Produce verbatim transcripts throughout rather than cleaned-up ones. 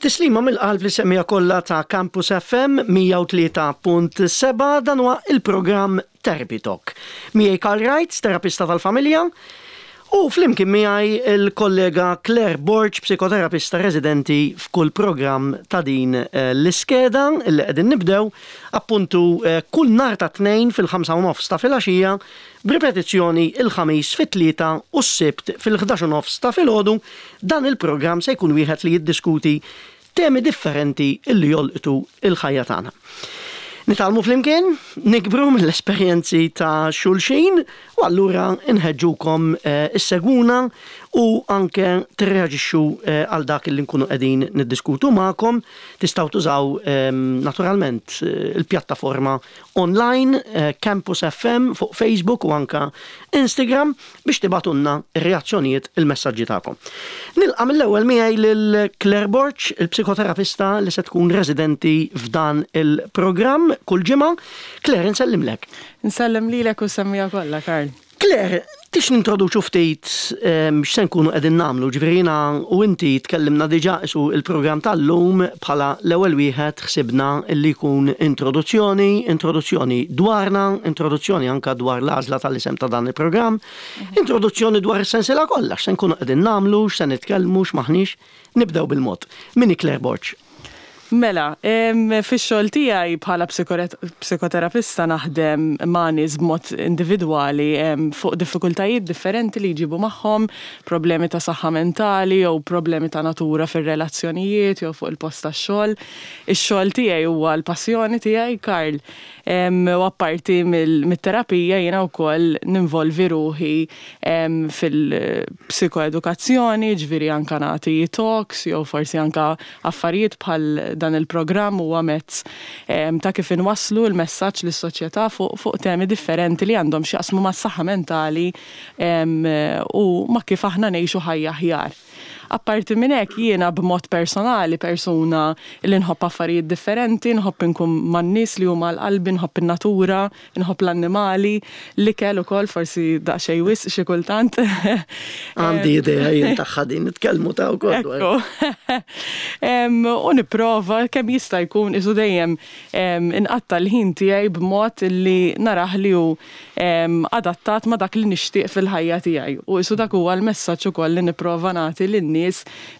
Tislima mill-qalb lis-semmiegħa kollha ta' Campus F M mija u tlieta punt sebgħa, dan huwa il-programm Therapy Talk. Miegħi Karl Wright, terapista tal-familja, u flimkien miegħi il-kollega Claire Borg, psikoterapista residenti f'kull programm ta' din eh, l-iskeda li qegħdin nibdew appuntu eh, kull nhar ta' Tnejn fil-ħamsa u nofs ta' filgħaxija, b'ripetizzjoni il-Ħamis fit-tlieta u s-Sibt fil-ħdax u nofs ta' filgħodu. Dan il-programm se jkun wieħed li jiddiskuti temi differenti illi jolqtu il-ħajja tagħna. Nitgħallmu flimkien, nikbru mill-esperjenzi ta' xulxin u allura nħeġġukom eh, issegwuna u anke tirreaġixxu eh, għal dak li nkunu qegħdin niddiskutu magħkom. Tistgħu tużaw ehm, naturalment eh, il-pjattaforma online eh, Campus F M fuq Facebook u anka Instagram biex tibagħtulna ir-reazzjonijiet, il-messaġġi tagħkom. Nilqa' mill-ewwel miegħi lil Claire Borg, il-psikoterapista li se tkun residenti f'dan il-programm kull ġimgħa. Claire, nsellimlek. Nsellem lilek u semmiegħa kollha, Karl. Claire, tix nintroduċu ftit ehm, x'se nkunu qegħdin nagħmlu, ġifieri jiena u inti tkellimna diġà isu il-programm tal-lum bħala l-ewwel wieħed ħsibna li jkun introduzzjoni, introduzzjoni dwarna, introduzzjoni anka dwar l-għażla tal-isem ta' dan il-programm, introduzzjoni dwar is-sensiela kollha, x'se nkunu qegħdin nagħmlu, x'se nitkellmu, x'maħniex. Nibdew bil-mod. Min hi Claire Borg? Mela, em, fix-xogħol tiegħi bħala psikoterapista naħdem ma' nies b'mod individwali em, fuq diffikultajiet differenti li jġibu magħhom, problemi ta' saħħa mentali jew problemi ta' natura fir-relazzjonijiet jew fuq il-post tax-xogħol. Ix-xogħol tiegħi huwa l-passjoni tiegħi, Karl. Em, U apparti mill-terapija jiena wkoll ninvolvi ruħi em, fil-psikoedukazzjoni, ġifieri anka nagħti talks jew forsi anka affarijiet bħal dan il-programm huwa mezz em, ta' kif inwasslu l-messaġġ lis-soċjetà fuq fuq temi differenti li għandhom x'jaqsmu mas-saħħa mentali em, u ma' kif aħna ngħixu ħajja aħjar. Apparti minn hekk, jiena b'mod personali persuna li nħobb affarijiet differenti, nħobb inkun man-nies li huma l-qalbi, nħobb in-natura, nħobb l-annimali, l-ikel ukoll forsi daqsxejn wisq xi kultant. Għandi idea jien tagħha din, nitkellmu ta' wkoll dwar. Ekku. Em, U nipprova kemm jista' jkun isu dejjem em, inqatta l-ħin tiegħi b'mod li narah li hu em, adattat ma' dak li nixtieq fil-ħajja tiegħi. U isu dak huwa l-messaġġ ukoll li nipprova nagħti lin-nies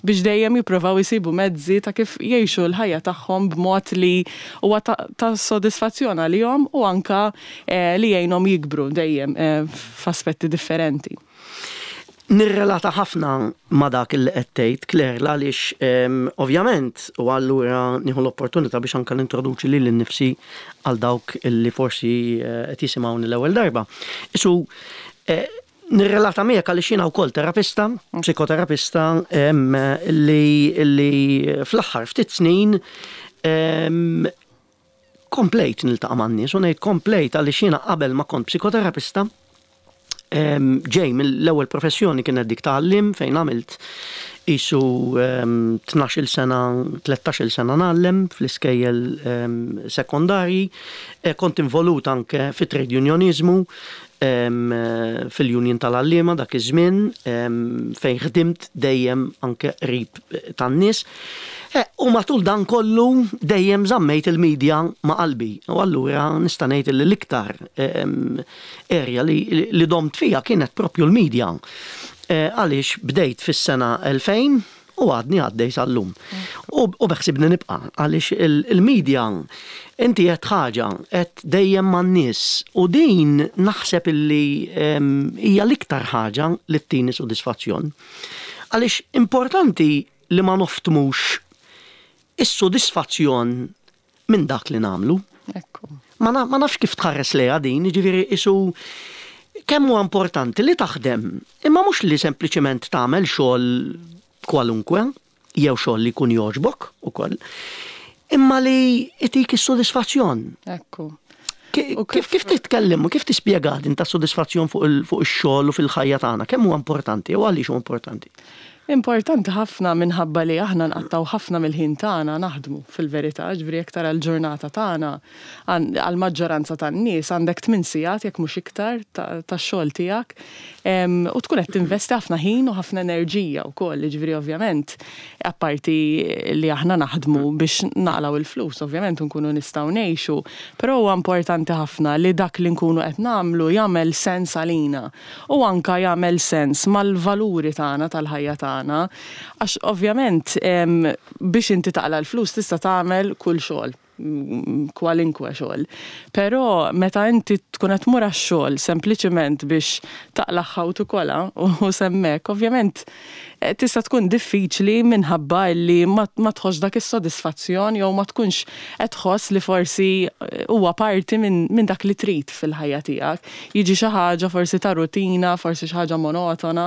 biex dejjem jipprovaw isibu mezzi ta' kif jgħixu l-ħajja tagħhom b'mod li huwa ta', ta' sodisfazzjon għalihom u anka eh, li jgħinhom jikbru dejjem eh, f'aspetti differenti. Nirrelata ħafna ma' dak li qed tgħid, Claire, għaliex em, ovvjament u allura nieħu l-opportunità biex anka nintroduċi lili nnifsi għal dawk illi forsi eh, qed jisimgħuni l-ewwel darba. Isu eh, nirrelata miegħek għaliex jiena wkoll terapista, psikoterapista em, li, li fl-aħħar ftit snin em, komplejt niltaqa' man-nies, u ngħid komplejt għaliex jiena qabel ma kont psikoterapista em, ġej mill-ewwel professjoni, kienet dik ta' għalliem, fejn għamilt isu em, tnax-il sena, tlettax-il sena ngħallem fl-iskejjel em, sekondarji. E, kont involut anke fi trade unionizmu em, fil-union tal-għalliema dak iż-żmien, em, fejn ħdimt dejjem anke qrib tan-nies. E, u matul dan kollu dejjem żammejt il-medja ma' qalbi. U allura nista' ngħid li l-iktar em, area li, li domt fija kienet propju l-medja. E, Għaliex bdejt fis-sena elfejn u għadni għaddej sal-lum. U, u beħsibni nibqa' għaliex il-medja inti qed ħaġa qed dejjem man-nies u din naħseb illi em, hija l-iktar ħaġa li ttini sodisfazzjon. Għaliex importanti li ma noftmux is-sodisfazzjon minn dak li nagħmlu. Ekku. Ma, na, ma nafx kif tħares lejha din, ġifieri isu kemm huwa importanti li taħdem, imma mhux li sempliċement tagħmel xogħol kwalunkwe, jew xogħol li jkun jogħġbok ukoll, imma li itik is-sodisfazzjon. Ekku. Ki- U Kif kif titkellem u kif tispjega din ta' sodisfazzjon fuq il- fuq ix-xogħol u fil-ħajja tagħna? Kemm huwa importanti u għaliex huwa importanti? Importanti ħafna minħabba li aħna nqattaw ħafna mill-ħin tagħna naħdmu fil-verità, ġifieri jekk tara l-ġurnata tagħna għall-maġġoranza tan-nies għandek tmien sigħat, jekk mhux iktar, tax-xogħol tiegħek u tkun qed tinvesti ħafna ħin u ħafna enerġija wkoll, ġifieri ovvjament apparti li aħna naħdmu biex naqlaw il-flus, ovvjament nkunu nistgħu ngħixu, però huwa importanti ħafna li dak li nkunu qed nagħmlu jagħmel sens għalina u anka jagħmel sens mal-valuri tagħna, tal-ħajja tagħna tagħna, għax ovvjament biex inti taqla l-flus tista' tagħmel kull xogħol, kwalinkwe xogħol. Però meta inti tkun qed tmur għax-xogħol sempliċement biex taqlaħħa u tikola u semmek, ovvjament eh, tista' tkun diffiċli minħabba li ma tħoss dak is-sodisfazzjon jew ma tkunx qed tħoss li forsi eh, huwa parti minn min dak li trid fil-ħajja tiegħek. Jiġi xi ħaġa forsi ta' rutina, forsi xi ħaġa monotona,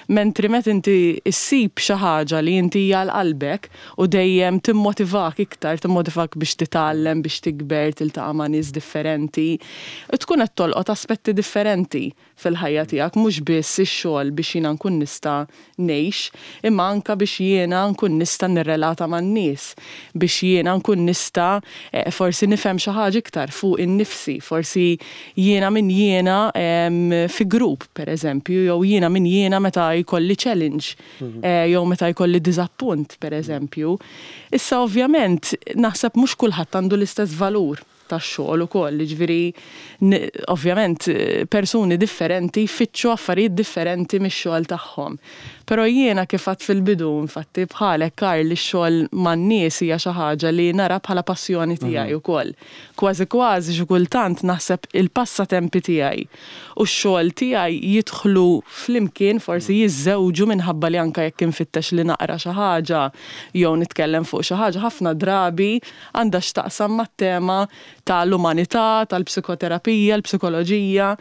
mentri meta inti issib xi ħaġa li inti hija qalbek u dejjem timmotivak iktar, timmotivak biex titgħallem, biex tikber, tiltaqa' ma' nies differenti, tkun qed tolqot aspetti differenti fil-ħajja tiegħek, mhux biss ix-xogħol biex jiena nkun nista' ngħix, imma anka biex jiena nkun nista' nirrelata man-nies, biex jiena nkun nista' eh, forsi nifhem xi ħaġa iktar fuq innifsi, forsi jiena min jiena fi grupp, pereżempju, jew jiena min jiena meta jkolli challenge, mhm. eh, jew meta jkolli diżappunt, pereżempju. Issa ovvjament naħseb mhux kulħadd għandu l-istess valur tax-xogħol ukoll, jiġifieri ovvjament persuni differenti jfittxu affarijiet differenti mix-xogħol tagħhom. Però jiena, kif għedt fil-bidu, infatti bħalek, Karl, li x-xogħol man-nies hija xi ħaġa li nara bħala passjoni tiegħi mhm. ukoll. Kważi kważi xi kultant naħseb il-passatempi tiegħi u x-xogħol tiegħi jidħlu flimkien, forsi jiżżewġu, minħabba li anke jekk infittex li naqra xi ħaġa jew nitkellem fuq xi ħaġa, ħafna drabi għandha x'taqsam mat-tema tal-umanità, tal-psikoterapija, l-psikoloġija.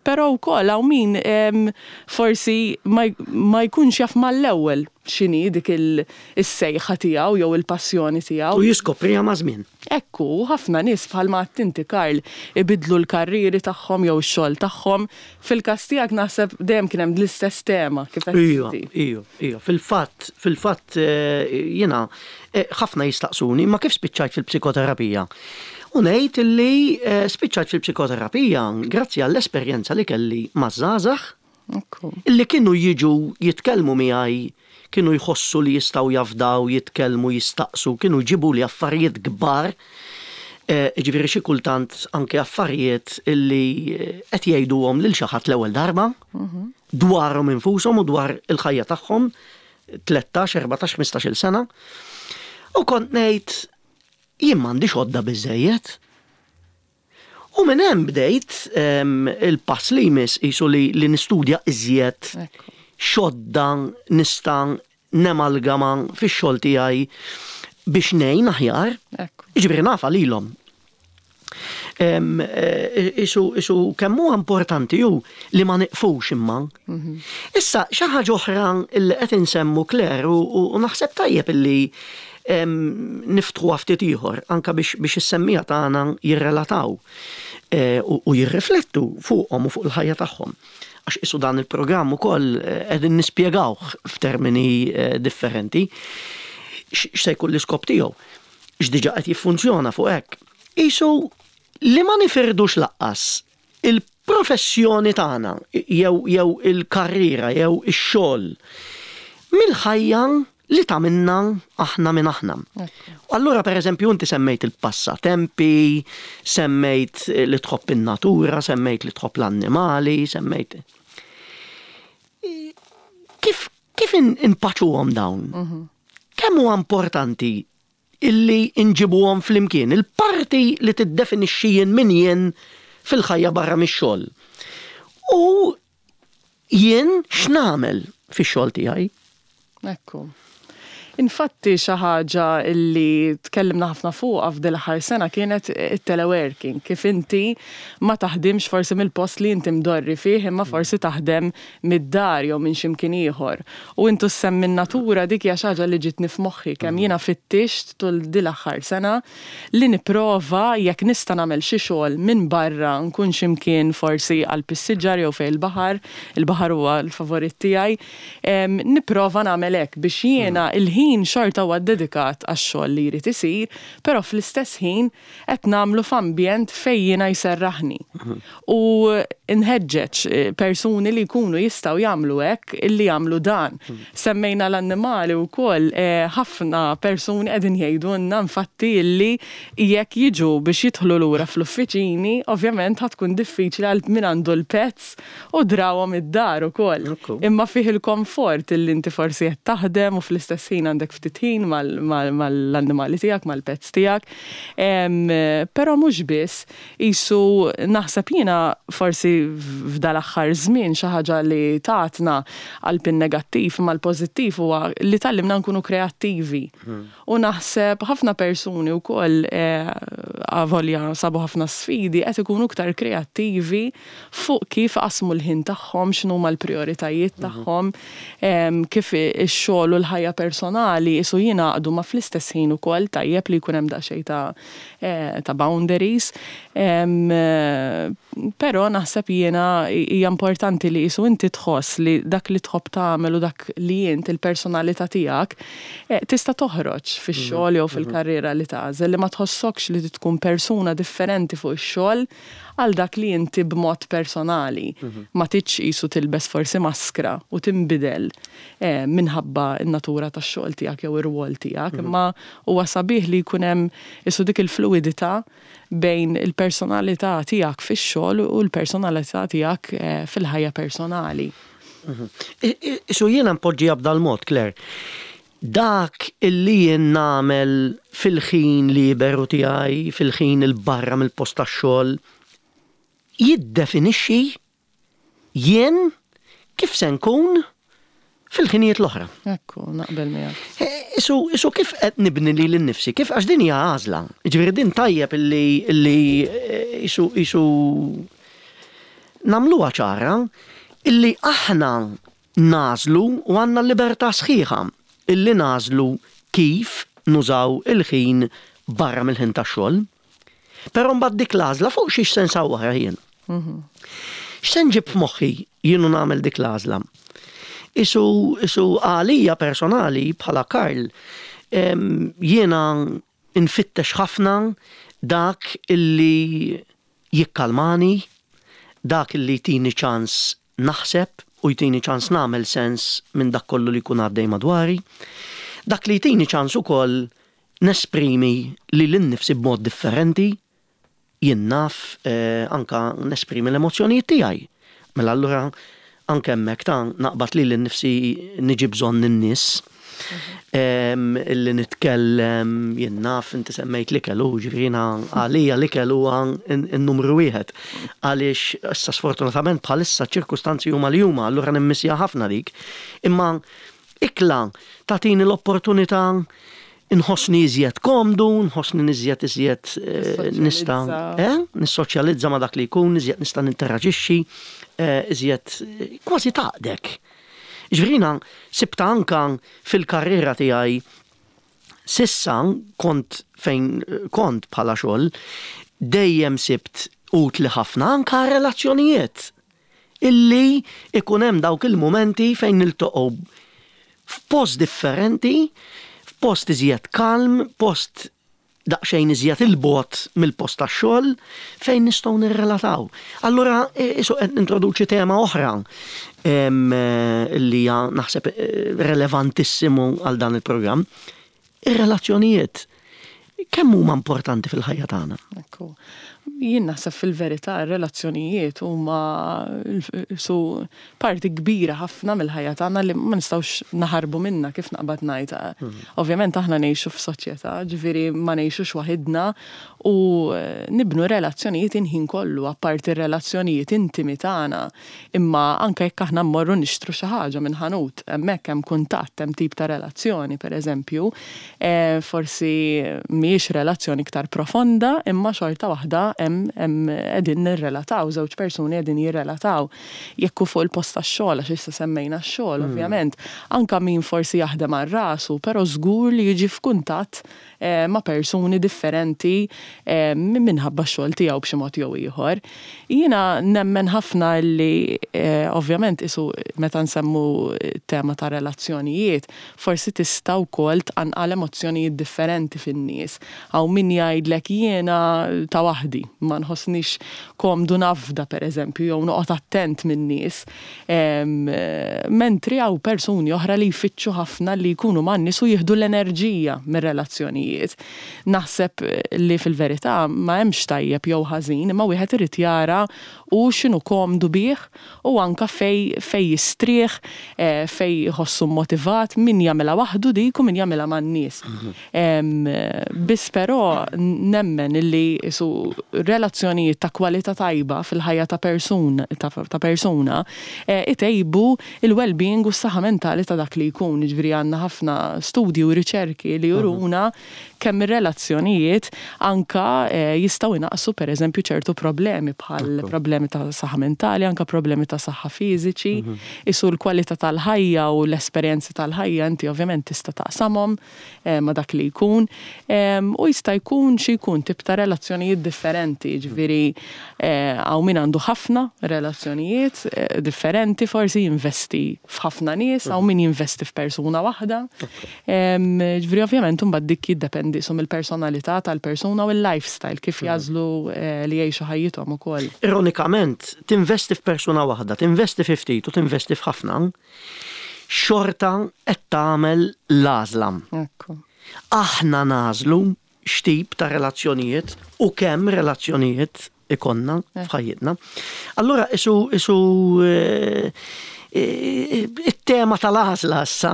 Però wkoll hawn min forsi ma jkunx jaf mal-ewwel x'inhi dik is-sejħa tiegħu jew il-passjoni tiegħu. U jiskopriha maż-żmien. Ekku, ħafna nies, bħalma inti, Karl, ibidlu l-karriri tagħhom jew ix-xogħol tagħhom. Fil-każ tiegħek naħseb dejjem kien hemm l-istess tema kif qed. Ija, ija, ija. Fil-fatt, fil-fatt eh, jiena eh, ħafna jistaqsuni ma kif spiċċajt fil-psikoterapija. U ngħid li eh, spiċċajt fil-psikoterapija grazzi għall-esperjenza li kelli maż-żgħażagħ illi kienu jiġu jitkellmu miegħi, kienu jħossu li jistgħu jafdaw, jitkellmu, jistaqsu, kienu jġibu li affarijiet kbar. Eh, ġifieri xi kultant anke affarijiet illi eh, qed jgħiduhom lil xi ħadd l-ewwel darba mhm. dwarhom infushom u dwar il-ħajja tagħhom, tlettax, erbatax, ħmistax-il sena. U kont ngħid, jien m'għandix għodda biżejjed. U minn hemm bdejt il-pass li jmiss qisu li, li nistudja iżjed x'għodda nista' nemalgama fix-xogħol tiegħi biex ngħin aħjar. Jiġifieri nafa lilhom. Isu, isu kemm huwa importanti ju li ma niqfux imma. Mhm. Issa xi ħaġa oħra li qed insemmu, Claire, u naħseb tajjeb illi niftħu ftit ieħor anka biex biex is-semmiegħa tagħna jirrelataw e, u jirriflettu fuqhom u fuq il-ħajja tagħhom. Għax isu dan il-programm ukoll eh, qegħdin nispjegawh f'termini eh, differenti x'se jkun l-iskop tiegħu. X'diġà qed jiffunzjona fuq hekk. Isu li ma nifirdux lanqas il-professjoni tagħna jew jew il-karriera jew ix-xogħol mill-ħajja li tagħmilna aħna minn aħna. Allura, per eżempju, inti semmejt il-passatempi, semmejt li tħobb in-natura, semmejt li tħobb l-annimali, semmejt. Kif, kif inpaċuhom dawn? Mhm. Kemm huwa importanti illi nġibuhom flimkien, il-parti li tiddefinixxi jien min jien fil-ħajja barra mix-xogħol? U jien x'nagħmel fix-xogħol tiegħi? Ekku. Infatti xi ħaġa li tkellimna ħafna fuqha f'dil aħħar sena kienet it-teleworking, kif inti ma taħdimx forsi mill-post li inti mdorri fih, imma forsi taħdem mid-dar jew minn x'imkien ieħor. U intu semmi natura, dik hija xi ħaġa li ġitni f'moħħi kemm jiena fittixt tul dil aħħar sena li nipprova jekk nista' nagħmel xi xogħol minn barra, nkun x'imkien forsi għal passiġġar jew fejn il-baħar, il-baħar huwa l-favorit tiegħi, nipprova nagħmel hekk biex jiena il-ħin xorta huwa dedikat għax-xogħol li jrid isir, però fl-istess ħin qed nagħmlu f'ambjent fejn jiena jserraħni. U nħeġġeġ eh, persuni li jkunu jistgħu jagħmlu hekk illi jagħmlu dan. Semmejna l-annimali wkoll, eh, ħafna persuni qegħdin jgħidulna infatti illi jekk jiġu biex jidħlu lura fl-uffiċini, ovvjament ħa tkun diffiċli għal min għandu l-pets u drawhom id-dar ukoll. Imma fih il-komfort illi inti forsi qed taħdem u fl-istess ħin għandek ftit ħin mal-annimali tiegħek, mal-pets tiegħek. Però mhux biss, isu naħseb jiena forsi f'dal-aħħar żmien xi ħaġa li tatna għal negattiv imma l-pożittiv huwa li tgħallimna nkunu kreattivi. Hmm. U naħseb ħafna persuni wkoll, eh, avolja sabu ħafna sfidi, qed ikunu iktar kreattivi fuq kif qasmu l-ħin tagħhom, x'inhuma l-prijoritajiet mhm. tagħhom, kif ix-xogħol u l-ħajja personali isu jingħaqdu ma fl-istess ħin ukoll tajjeb li jkun hemm daqsxejn ta' eh, ta' boundaries. Però naħseb jiena hija importanti li isu inti tħoss li dak li tħobb tagħmel u dak li int il-personalità tiegħek eh, tista' toħroġ fix-xogħol jew mhm. fil-karriera li tagħżel, li ma tħossokx li tkun persuna differenti fuq ix-xogħol għal dak li inti b'mod personali. Mhm. Ma tridx isu tilbes forsi maskra u tinbidel eh, minħabba n-natura tax-xogħol tiegħek jew ir-rwol tiegħek, mhm. imma huwa sabiħ li jkun hemm isu dik il-fluidità bejn il-personalità tiegħek fix-xogħol u l-personalità tiegħek eh, fil-ħajja personali. Mhm. Isu jiena npoġġiha b'dal-mod, Claire. Dak illi jien nagħmel fil-ħin liberu tiegħi, fil-ħin il-barra mill-post tax-xogħol, jiddefinixxi jien kif se nkun fil-ħinijiet l-oħra. Ekku, naqbel miegħek. Eh, isu, isu kif qed nibni li l-nifsi, kif, għax din hija għażla. Ġifieri din tajjeb illi illi eh, isu isu nagħmluha ċara illi aħna nagħżlu u għandna libertà sħiħa illi nagħżlu kif nużaw il-ħin barra mill-ħin tax-xogħol. Però mbagħad dik l-għażla fuq xiex se nsawwarha jien? Mhm. X'se nġib f'moħħi jien u nagħmel dik l-għażla? Isu, isu għalija personali bħala Karl, jiena nfittex ħafna dak illi jikkalmani, dak illi jtini ċans naħseb u jtini ċans nagħmel sens minn dak kollu li jkun għaddej madwari. Dak li jtini ċans ukoll nesprimi lili nnifsi b'mod differenti, jien naf eh, anka nesprimi l-emozjonijiet tiegħi. Mela allura anke hemmhekk ta' naqbad lili nnifsi niġi bżonn in-nies. Illi nitkellem, jien naf, inti semmejt l-ikel, u ġifieri għalija l-ikel huwa n-numru wieħed. Għaliex issa sfortunatament bħalissa ċirkustanzi huma li huma, allura nimmissja ħafna dik. Imma ikla tagħtini l-opportunità nħossni iżjed komdu, nħossni iżjed iżjed eh, nista' eh, nissoċjalizza ma' dak li jkun, iżjed nista' ninteraġixxi, eh, iżjed kważi taqdek. Ġifieri sibta anka fil-karriera tiegħi sissa, kont fejn kont bħala xogħol, dejjem sibt utli ħafna anka relazzjonijiet illi ikun hemm dawk il-momenti fejn niltaqgħu f'post differenti, f'post iżjed kalm, post daqsxejn iżjed il-bogħod mill-post tax-xogħol fejn nistgħu nirrelataw. Allura isu qed nintroduċi tema oħra li hija naħseb eh, relevantissimu għal dan il-programm. Ir-relazzjonijiet kemm huma importanti fil-ħajja tagħna? Ekku. Jien naħseb fil-verità r-relazzjonijiet huma su parti kbira ħafna mill-ħajja tagħna li ma nistgħux naħarbu minna, kif naqbad ngħid. Mhm. Ovvjament aħna ngħixu f'soċjetà, ġifieri ma ngħixux waħidna u eh, nibnu relazzjonijiet il-ħin kollu, apparti relazzjonijiet intimi tagħna. Imma anke jekk aħna mmorru nixtru xi ħaġa minn ħanut, hemmhekk hemm kuntatt, hemm tip ta' relazzjoni, pereżempju, eh, forsi mhijiex relazzjoni iktar profonda, imma xorta waħda hemm qegħdin nirrelataw, żewġ persuni qegħdin jirrelataw. Jekk fuq il-post tax-xogħol, għax issa semmejna x-xogħol, mm. ovvjament, anka min forsi jaħdem għal rasu, però żgur li jiġi f'kuntatt eh, ma' persuni differenti eh, minħabba x-xogħol tiegħu b'xi mod jew ieħor. Jiena nemmen ħafna li eh, ovvjament isu meta nsemmu tema ta' relazzjonijiet, forsi tista' wkoll tqanqal emozzjonijiet differenti fin-nies. Hawn min jgħidlek, "Jiena ta' waħdi, ma nħossnix komdu nafda, per eżempju, jew noqgħod attent min-nies." Mentri hawn persuni oħra li jfittxu ħafna li jkunu man-nies u jieħdu l-enerġija mir-relazzjonijiet. Naħseb li fil-verità ma hemmx tajjeb jew ħażin, imma wieħed irid jara u x'inhu komdu bih u anka fej fej jistrieħ, eh, fej jħossu motivat, min jagħmilha waħdu dik u min jagħmilha man-nies. Mhm. Biss però nemmen illi su relazzjonijiet ta' kwalità tajba fil-ħajja ta' persuna ta' persuna eh, itejbu il-well-being u s-saħħa mentali ta' dak li jkun. Ġifieri għandna ħafna studji u riċerki li juruna kemm ir-relazzjonijiet anka eh, jistgħu jnaqsu, pereżempju, ċertu problemi bħal problemi ta' saħħa mentali, anka problemi ta' saħħa fiżiċi, mhm. isu l-kwalità tal-ħajja u l-esperjenzi tal-ħajja inti ovvjament tista' taqsamhom eh, ma' dak li jkun. U jista' jkun xi jkun tip ta' relazzjonijiet differenti, ġifieri eh, hawn min għandu ħafna relazzjonijiet differenti, forsi jinvesti f'ħafna nies, hawn min jinvesti f'persuna waħda. Ġifieri ovvjament imbagħad dik jiddependi sum il-personalità tal-persuna u l-lifestyle kif mhm. jagħżlu eh, li jgħixu ħajjithom ukoll. Ironikament, tinvesti f'persuna waħda, tinvesti fi ftit u tinvesti f'ħafna, xorta qed tagħmel l-għażla. Aħna nagħżlu x'tip ta' relazzjonijiet u kemm relazzjonijiet ikollna f'ħajjitna. Allura isu isu eh, it-tema tal-għażla issa.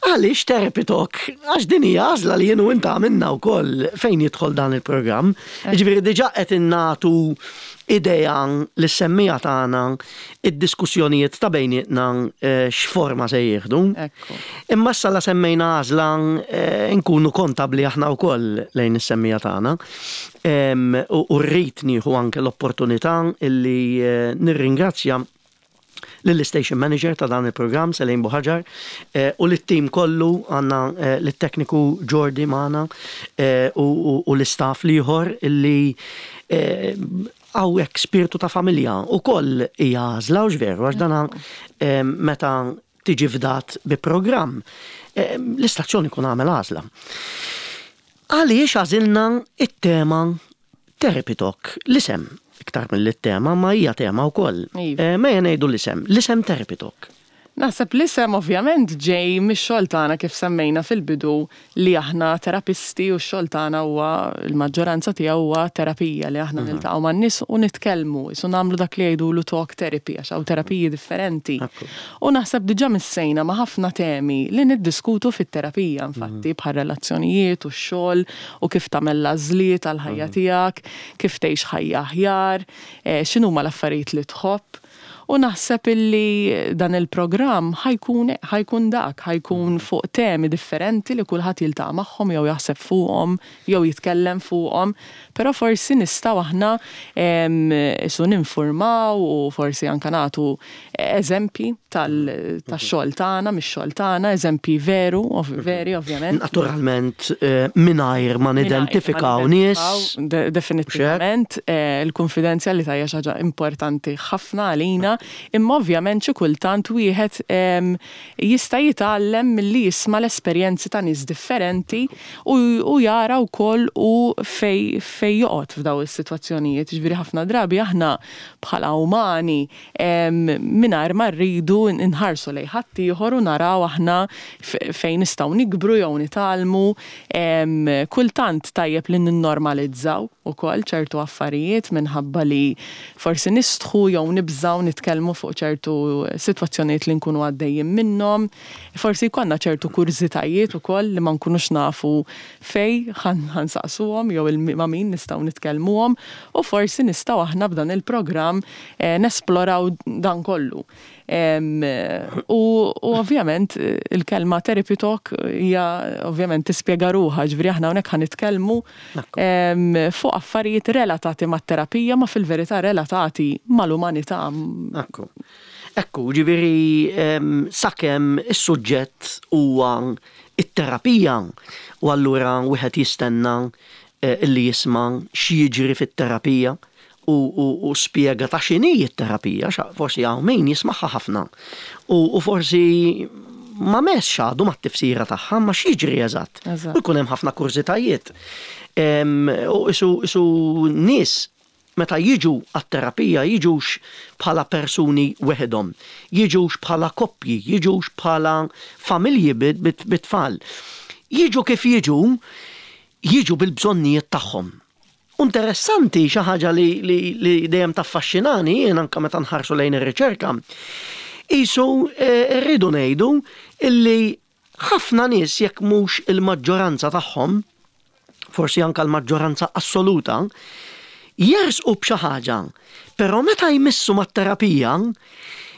Għaliex Therapy Talk? Għax din hija għażla li jien u inta għamilna wkoll fejn jidħol dan il-programm. Ġifieri diġà qed innatu idea lis-semmiegħa tagħna id-diskussjonijiet ta' bejnietna eh, x'forma se jieħdu. Imma issa la semmejna għażla, eh, nkunu kontabli aħna wkoll lejn is-semmiegħa tagħna. U rrid nieħu anke l-opportunità illi eh, nirringrazzja lill-station manager ta' dan il-programm, Selin Buħaġar, eh, u lit-team kollu. Għandna eh, l-tekniku Jordi magħna eh, u l-istaff l-ieħor illi hawnhekk spiritu ta' familja u koll hija għażla u veru, għax dana meta tiġi fdat bi programm, l-istazzjon ikun għamel għażla. Għaliex għażilna it-tema Therapy Talk, l-isem, iktar mill-tema, ma hija tema wkoll. Iva. Eh, ma ngħidu l-isem, l-isem Therapy Talk. Naħseb l-isem ovvjament ġej mix-xogħol tagħna, kif semmejna fil-bidu li aħna terapisti u x-xogħol tagħna huwa, il-maġġoranza tiegħu huwa terapija, li aħna mhm. niltaqgħu man-nies u nitkellmu, isu nagħmlu dak li jgħidulu talk therapy, għax hawn terapiji differenti. U naħseb diġà missejna ma' ħafna temi li niddiskutu fit-terapija, infatti, mhm. bħal relazzjonijiet u x-xogħol u kif tagħmel l-għażliet għall-ħajja mhm. tiegħek, kif tgħix ħajja aħjar, eh, x'inhuma l-affarijiet li tħobb. U naħseb illi dan il-programm ħa jkun ħa jkun dak, ħa jkun fuq temi differenti li kulħadd jiltaqa' magħhom jew jaħseb fuqhom jew jitkellem fuqhom, però forsi nistgħu aħna isu ninformaw u forsi anka nagħtu eżempji tax-xogħol tagħna, mix-xogħol tagħna, eżempji veru, veri ovvjament. Naturalment eh, mingħajr ma nidentifikaw nies. Definitivament, eh, il-konfidenzjalità hija xi ħaġa importanti ħafna għalina. imma ovvjament xi kultant wieħed jista' jitgħallem milli jisma' l-esperjenzi ta' nies differenti u, u jara wkoll u fej fej joqgħod f'daw is-sitwazzjonijiet. Ġifieri ħafna drabi aħna bħala umani mingħajr ma rridu nħarsu lejn ħaddieħor u naraw aħna fejn nistgħu nikbru jew nitgħallmu. Kultant tajjeb li ninnormalizzaw ukoll ċertu affarijiet minħabba li forsi nistħu jew nibżaw nitkellmu fuq ċertu sitwazzjonijiet li nkunu għaddejjin minnhom. Forsi jkollna ċertu kurżitajiet ukoll li ma nkunux nafu fej ħa nsaqsuhom jew ma' min nistgħu nitkellmuhom u forsi nistgħu aħna b'dan il-programm eh, nesploraw dan kollu. U, u ovvjament il-kelma Therapy Talk hija ovvjament tispjega ruħha, ġifieri aħna hawnhekk ħa nitkellmu fuq affarijiet relatati mat-terapija ma fil-verità relatati mal-umanità. Ekku. Ekku, ġifieri sakemm is-suġġett huwa it-terapija u allura wieħed jistenna eh, illi jisma' x'jiġri fit-terapija u, u, u spjega ta' x'inhi t-terapija, forsi hawn min jismagħha ħafna. U, u forsi ma messx għadu ma t-tifsira tagħha ma x'jiġri eżatt. U jkun hemm ħafna kurżitajiet. U isu, isu nies meta jiġu għat-terapija jiġux bħala persuni weħedhom, jiġux bħala koppji, jiġux bħala familji bit-tfal. Jiġu kif jiġu, jiġu bil-bżonnijiet tagħhom. Interessanti xi ħaġa li, li, li dejjem taffaxxinani jien anke meta nħarsu lejn ir-riċerka. Isu eh, rridu ngħidu illi ħafna nies jekk mhux il-maġġoranza tagħhom, forsi anke l-maġġoranza assoluta, jersqu b'xi ħaġa, però meta jmissu mat-terapija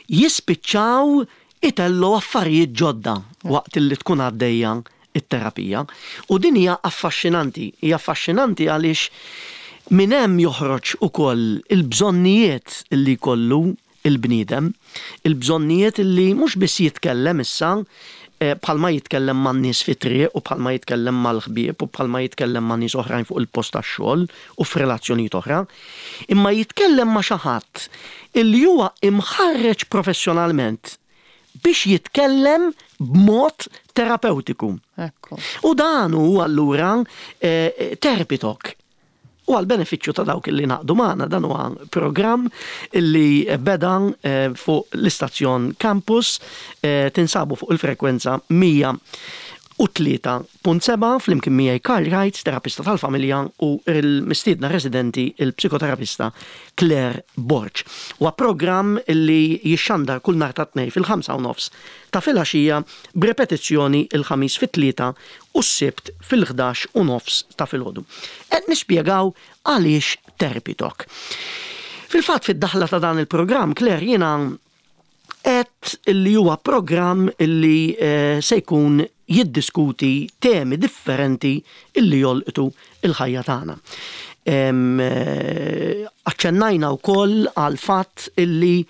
jispiċċaw itellu affarijiet ġodda waqt illi tkun għaddejja it-terapija. U din hija affaxxinanti, hija affaxxinanti għaliex minn hemm joħroġ ukoll il-bżonnijiet li jkollu il-bniedem, il-bżonnijiet li mhux biss jitkellem issa bħalma jitkellem man nies fit-triq u bħalma jitkellem mal-ħbieb u bħalma jitkellem ma' nies oħrajn fuq il-post tax-xogħol u f'relazzjonijiet oħra, imma jitkellem ma' xi ħadd illi huwa imħarreġ professjonalment biex jitkellem b'mod terapeutiku. Ekku. U dan hu allura eh, Therapy Talk. U għal benefiċċju ta' dawk li ngħaqdu magħna, dan huwa programm illi beda eh, fuq l-istazzjon Campus, eh, tinsabu fuq il-frekwenza mija u tlieta punt seba' flimkien miegħi Karl Wright, terapista tal-familja, u il-mistiedna residenti il-psikoterapista Claire Borg. Huwa programm illi jixxandar kull nhar ta' Tnejn fil-ħamsa u nofs ta' filgħaxija b'repetizzjoni il-Ħamis fit-tlieta u s-Sibt fil-ħdax u nofs ta' filgħodu. Qed nispjegaw għaliex Therapy Talk. Fil-fatt fid-daħla ta' dan il-programm, Claire, jiena qed illi huwa programm illi, eh, se jkun jiddiskuti temi differenti illi jolqtu il-ħajja tagħna. Em, eh, aċċennajna wkoll għal fatt illi,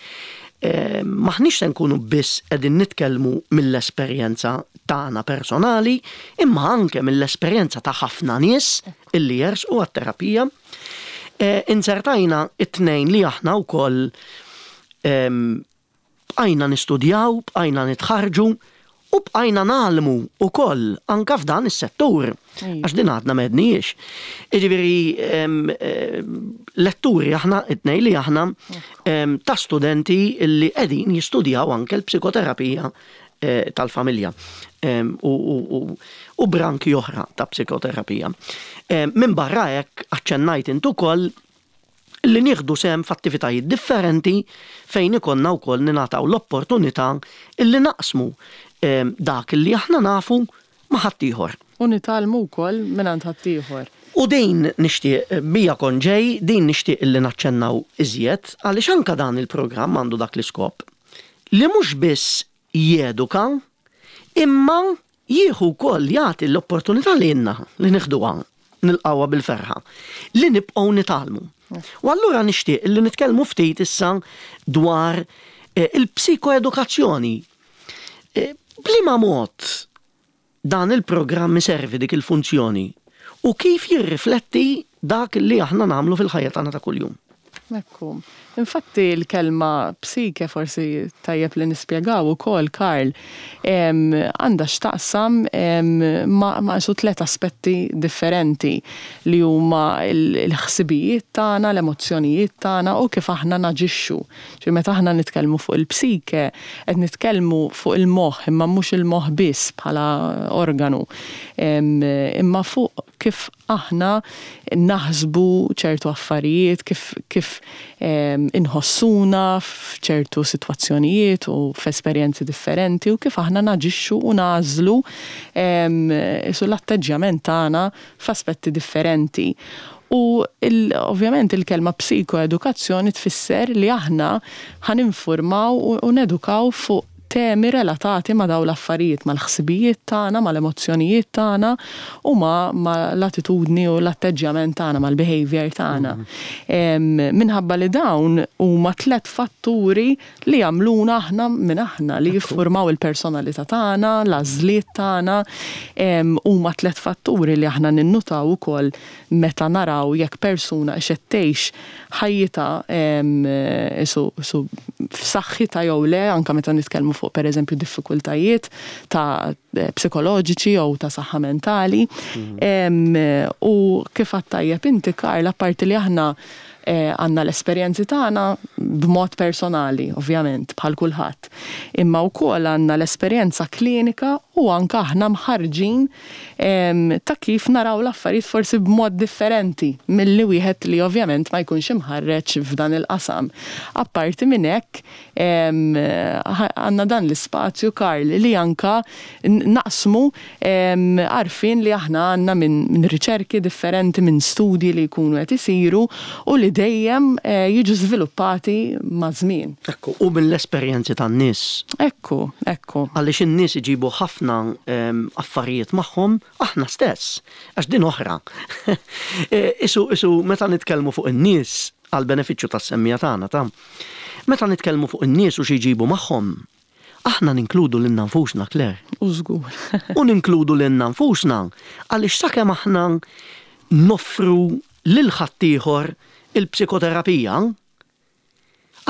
eh, maħniex se nkunu biss qegħdin nitkellmu mill-esperjenza tagħna personali, imma anke mill-esperjenza ta' ħafna nies illi jersqu għat-terapija. Eh, insertajna it-tnejn li aħna wkoll, em, bqajna nistudjaw, bqajna nitħarġu u bqajna nagħlmu wkoll anke f'dan is-settur. Ejja. Għax din għadna m'għedniex. Jiġifieri, em, em, letturi aħna, it-tnejn li aħna, em, ta' studenti li qegħdin jistudjaw anke l-psikoterapija, eh, tal-familja, em, u, u, u, u branki oħra ta' psikoterapija. Em, Minn barra hekk aċċennajt int ukoll li nieħdu sehem f'attivitajiet differenti fejn ikollna wkoll ningħataw l-opportunità illi naqsmu, em, dak li aħna nafu ma' ħaddieħor. U nitgħallmu wkoll mingħand ħaddieħor. U din nixtieq bija konġej, din nixtieq illi naċċennaw iżjed, għaliex anke dan il-programm għandu dak l-iskop li mhux biss jeduka, imma jieħu wkoll jagħti l-opportunità li lilna li nieħduha, nilqawha bil-ferħa, li nibqgħu nitgħallmu. U allura nixtieq li nitkellmu ftit issa dwar, eh, il-psikoedukazzjoni. Eh, b'liema mod dan il-programm iservi dik il-funzjoni u kif jirrifletti dak li aħna nagħmlu fil-ħajja tagħna ta' kuljum? Ekku. Infatti l-kelma psike, forsi tajjeb li nispjegaw ukoll, Karl, għandha x'taqsam ma' ma su tliet aspetti differenti li huma l-ħsibijiet tagħna, l-emozzjonijiet tagħna u kif aħna naġixxu. Ġifieri meta aħna nitkellmu fuq il-psike, qed nitkellmu fuq il-moħħ, imma mhux il-moħħ biss bħala organu, imma fuq kif aħna naħsbu ċertu affarijiet, kif, kif inħossuna f'ċertu sitwazzjonijiet u f'esperjenzi differenti u kif aħna naġixxu u nagħżlu su l-atteġġjament tagħna f'aspetti differenti. U il, ovvjament il-kelma psikoedukazzjoni tfisser li aħna ħa ninfurmaw u nedukaw fuq temi relatati ma' daw l-affarijiet, mal-ħsibijiet tagħna, mal-emozzjonijiet tagħna u ma' l-attitudni u l-atteġġjament tagħna, mal-behavior tagħna. Mm. Minħabba li dawn huma tliet fatturi li jagħmluna aħna minn aħna, li jiffurmaw il-personalità tagħna, l-għażliet tagħna, huma tliet fatturi li aħna ninnutaw ukoll meta naraw jekk persuna qed tgħix ħajjitha su, su f'saħħitha jew le, anke meta nitkellmu fuq pereżempju diffikultajiet ta' psikoloġiċi jew ta' saħħa mentali. Mm. U kif tajjeb inti, Karl, apparti li aħna eh, għandna l-esperjenzi tagħna b'mod personali, ovvjament, bħal kulħadd. Imma wkoll għandna l-esperjenza klinika u anke aħna mħarġin ta' kif naraw l-affarijiet forsi b'mod differenti milli wieħed li ovvjament ma jkunx imħarreġ f'dan il-qasam. Apparti minn hekk, għandna dan l-ispazju, Karl, li anka naqsmu għarfien li aħna għandna minn min riċerki differenti, minn studji li jkunu qed isiru u li dejjem eh, jiġu żviluppati ma' żmien. Ekku, u mill-esperjenzi tan-nies. Ekku, ekku. Għaliex in-nies iġibu ħafna affarijiet magħhom, aħna stess, għax din oħra. E, isu, isu, meta nitkellmu fuq in-nies għal benefiċċju tas-semmiegħa tagħna ta' meta nitkellmu fuq in-nies u xi jġibu magħhom, aħna ninkludu lilna nfusna, Claire. U żgur. U ninkludu lilna nfusna għaliex sakemm aħna noffru lil ħaddieħor il-psikoterapija,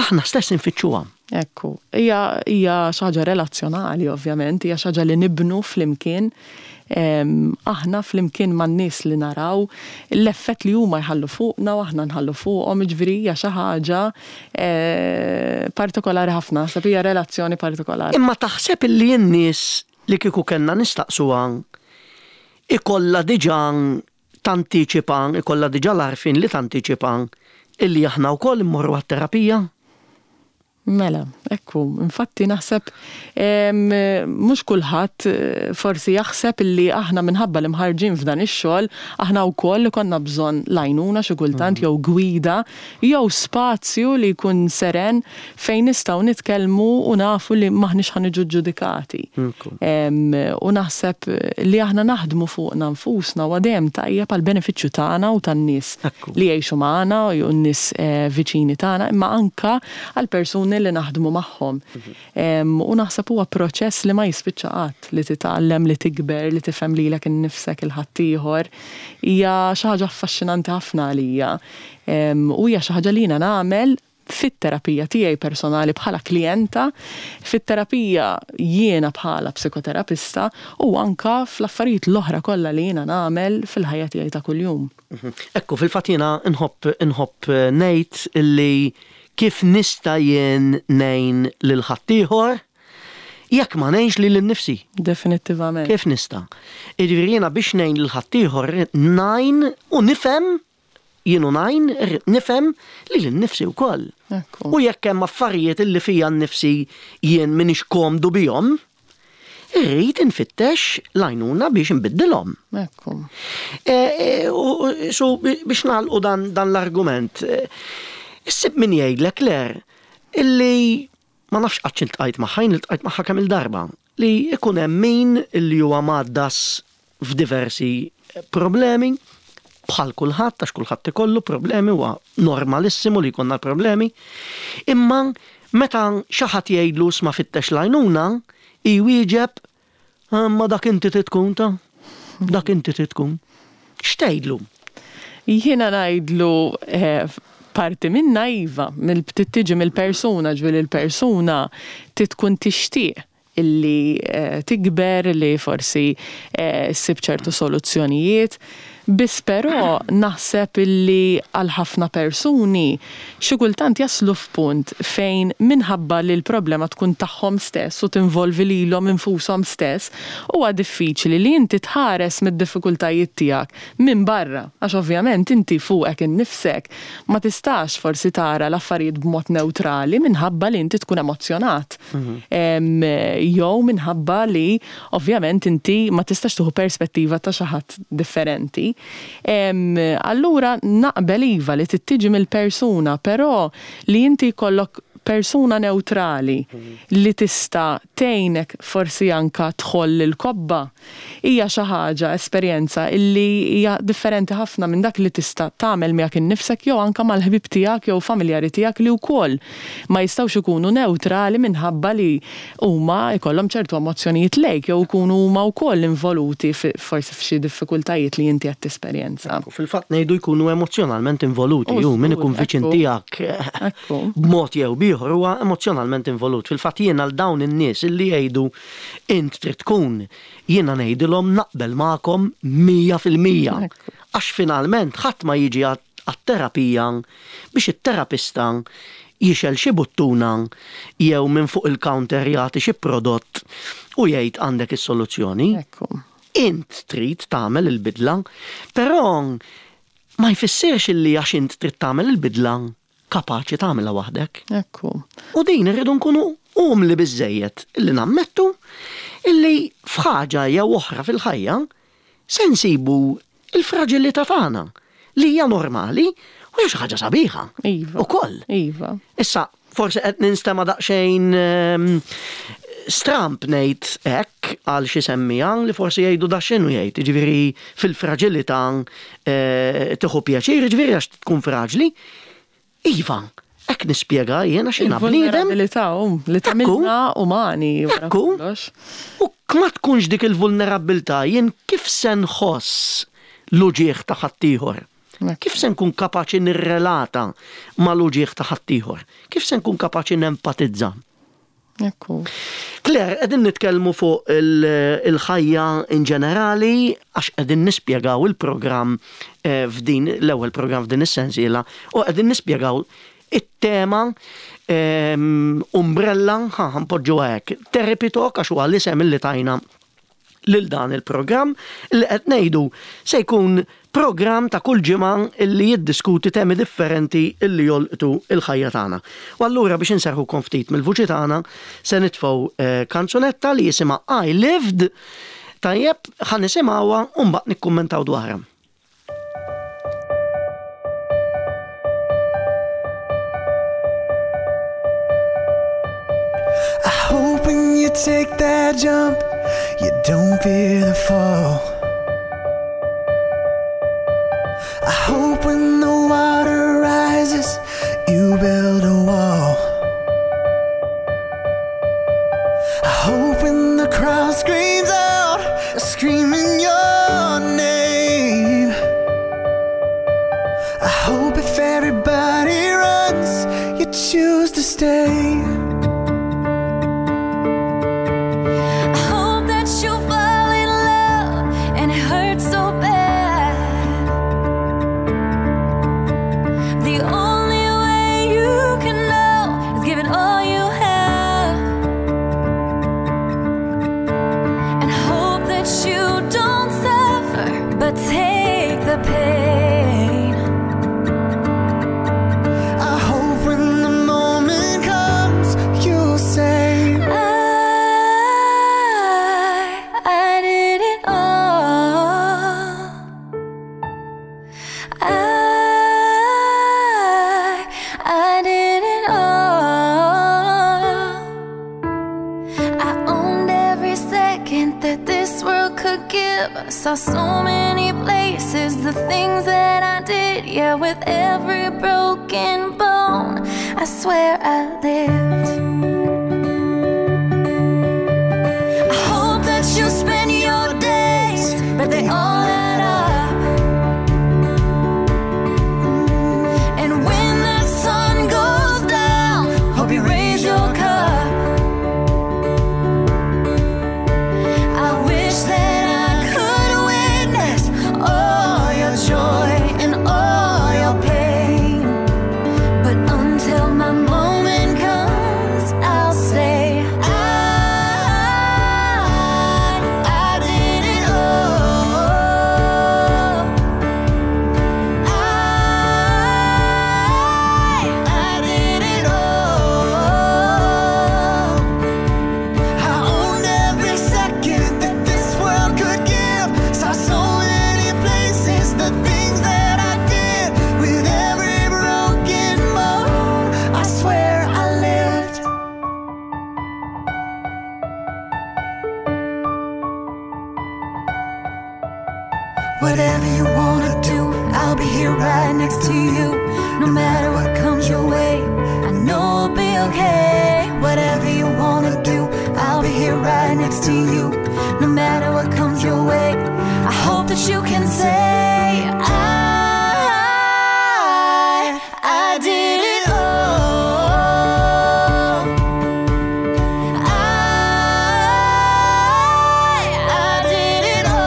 aħna stess infittxuha. Ekku, hija hija xi ħaġa relazzjonali ovvjament, hija xi ħaġa li nibnu flimkien. Aħna flimkien man-nies li naraw l-effett li huma jħallu fuqna u aħna nħallu fuqhom, jiġifieri hija xi ħaġa eh, partikolari ħafna, sab hija relazzjoni partikolari. Imma taħseb illi n-nies li kieku kellna nistaqsuha ikollha diġà tantiċipa, ikollha diġà l-għarfien li tantiċipa illi aħna wkoll immorru għat-terapija? Mela, ekku, infatti naħseb mhux kulħadd eh, forsi jaħseb illi aħna minħabba li mħarġin f'dan ix-xogħol, aħna wkoll konna bżonn l-għajnuna xi kultant mhm. jew gwida jew spazju li jkun seren fejn nistgħu nitkellmu u nafu li m'aħniex ħa niġu ġudikati. U naħseb li aħna naħdmu fuqna nfusna u dejjem tajjeb għal benefiċċju tagħna u tan-nies li jgħixu magħna u n-nies eh, viċini tagħna, imma anka għal persuni li naħdmu magħhom. U naħseb huwa proċess li ma jispiċċa qatt, li titgħallem, li tikber, li tifhem lilek innifsek, il-ħaddieħor. Hija xi ħaġa affaxxinanti ħafna għalija. U hija xi ħaġa li jiena nagħmel fit-terapija tiegħi personali bħala klijenta, fit-terapija jiena bħala psikoterapista u anka fl-affarijiet l-oħra kollha li jiena nagħmel fil-ħajja tiegħi ta' kuljum. Mhm. Ekku, fil-fatt jiena nħobb nħobb ngħid illi kif nista' jien ngħin lil ħaddieħor jekk ma ngħinx lili nnifsi? Definittivament. Kif nista'? Jiġifieri jiena biex ngħin lil ħaddieħor ngħin u nifhem jien u ngħin nifhem lili nnifsi wkoll. U jekk hemm affarijiet illi fija nnifsi jien m'iniex komdu bihom, irrid infittex l-għajnuna biex nbiddilhom. Ekku. E, e, so biex nagħlqu dan, dan l-argument, e, issib min jgħidlek, Claire, illi ma nafx qatt iltqajt magħha, jien iltqajt magħha kemm il-darba, li ikun hemm min illi huwa mgħaddas f'diversi problemi, bħal kulħadd, għax kulħadd ikollu problemi, huwa normalissimu li jkollna problemi, imma meta xi ħadd jgħidlu "Isma', fittex l-għajnuna", jwieġeb, "Ma dak inti tkun ta' dak inti tkun." X'tgħidlu? Jiena ngħidlu eh, Parti minna iva, tiġi mill-persuna, ġifieri il-persuna tkun tixtieq illi eh, tikber, li forsi eh, ssib ċertu soluzzjonijiet. Biss però naħseb illi għal ħafna persuni xi kultant jaslu f'punt fejn minħabba li l-problema tkun tagħhom stess u tinvolvi lilhom infushom stess, huwa diffiċli li inti tħares mid-diffikultajiet tiegħek minn barra, għax ovvjament inti fuqek innifsek ma tistax forsi tara l-affarijiet b'mod neutrali minħabba li inti tkun emozzjonat. Mhm. Jew minħabba li ovvjament inti ma tistax tieħu perspettiva ta' xi ħadd differenti. Allura naqbel iva li tiġi mill-persuna, però li inti jkollok persuna neutrali li tista' tgħinek forsi anka tħoll il-kobba hija xi ħaġa, esperjenza illi hija differenti ħafna minn dak li tista' tagħmel miegħek innifsek jew anka mal-ħbib tiegħek jew familjari tiegħek li wkoll ma jistgħux ikunu neutrali minħabba li huma jkollhom ċertu emozzjonijiet lejk jew ikunu huma wkoll involuti forsi f'xi diffikultajiet li inti qed tesperjenza. Fil-fatt ngħidu jkunu emozjonalment involuti, ju min ikun viċin tiegħek b'mod jew b'ieħor huwa emozjonalment involut. Fil-fatt jiena għal dawn in-nies illi jgħidu int trid tkun, jiena ngħidilhom naqbel magħkom mija fil-mija. Għax finalment ħadd ma jiġi għat-terapija biex it-terapista jixel xi buttuna jew minn fuq il-counter jagħti xi prodott u jgħid għandek is-soluzzjoni. Int trid tagħmel il-bidla, però ma jfissirx illi għax int trid tagħmel il-bidla kapaċi tagħmilha waħdek. Ekku. U din irridu nkunu umli biżejjed illi nammettu illi f'ħaġa jew oħra fil-ħajja se nsibu il-fraġilità tagħna li hija normali u hija xi ħaġa sabiħa. Iva. Ukoll. Iva. Issa, forsi qed ninstema' daqsxejn ehm, stramp ngħid hekk għal xi semmija li forsi jgħidu da x'inhu jgħid, jiġifieri fil-fraġilità eh, tieħu pjaċir, jiġifieri għax tkun fraġli. Iva, hekk nispjega jiena x'jiena bniedem. Il-vulnerabilità um, li tagħmilna umani wara Ekku. kollox. U ma tkunx dik il-vulnerabilità, jien kif se nħoss l-uġieħ ta' ħaddieħor? Kif se nkun kapaċi nirrelata ma' l-uġieħ ta' ħaddieħor? Kif se nkun kapaċi nempatizza? Ekku. Claire, qegħdin nitkellmu fuq il-ħajja in ġenerali għax qegħdin nispjegaw il-programm eh, f'din l-ewwel programm f'din is-sensiela u qegħdin nispjegaw it-tema ehm, umbrella, ħa npoġġu hekk, Therapy Talk għax huwa l-isem li tajna lil dan il-programm li qed ngħidu se jkun programm ta' kull ġimgħa illi jiddiskuti temi differenti illi jolqtu il-ħajja tagħna. U allura biex inserħukom ftit mill-vuċi tagħna se nitfgħu eh, kanzunetta li jisimha I Lived. Tajjeb, ħa nisimgħuha u mbagħad nikkummentaw dwarha. I hope when you take that jump, you don't fear the fall. I hope when the water rises, you build a wall. I hope when the crowd screams out, screaming your name. I hope if everybody runs, you choose to stay. I hope that you fall in love and it hurts so bad. The only way you can know is giving all you have. And I hope that you don't suffer, but take the pain. I hope when the moment comes, you'll say, I, I did it all. I, I did it all. I owned every second that this world could give. I saw so many places, the things that I did. Yeah, with every broken bone, I swear I lived. I hope that you spend your days, but they all add up. And when the Whatever you wanna do, I'll be here right next to you. No matter what comes your way, I know it'll be okay. Whatever you wanna do, I'll be here right next to you. No matter what comes your way, I hope that you can say, I, I did it all. I, I did it all.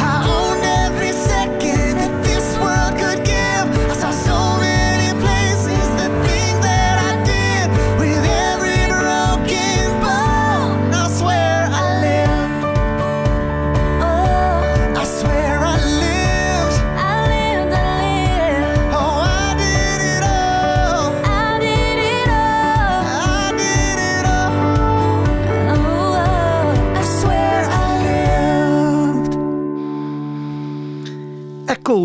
I owned every second that this world could give. I saw so many places, the things that I did. With every broken bone, I swear I lived. Oh, I swear I lived. I lived, I lived. Oh, I did it all. I did it all. I did it all. Oh, oh. I swear I lived. Ekku,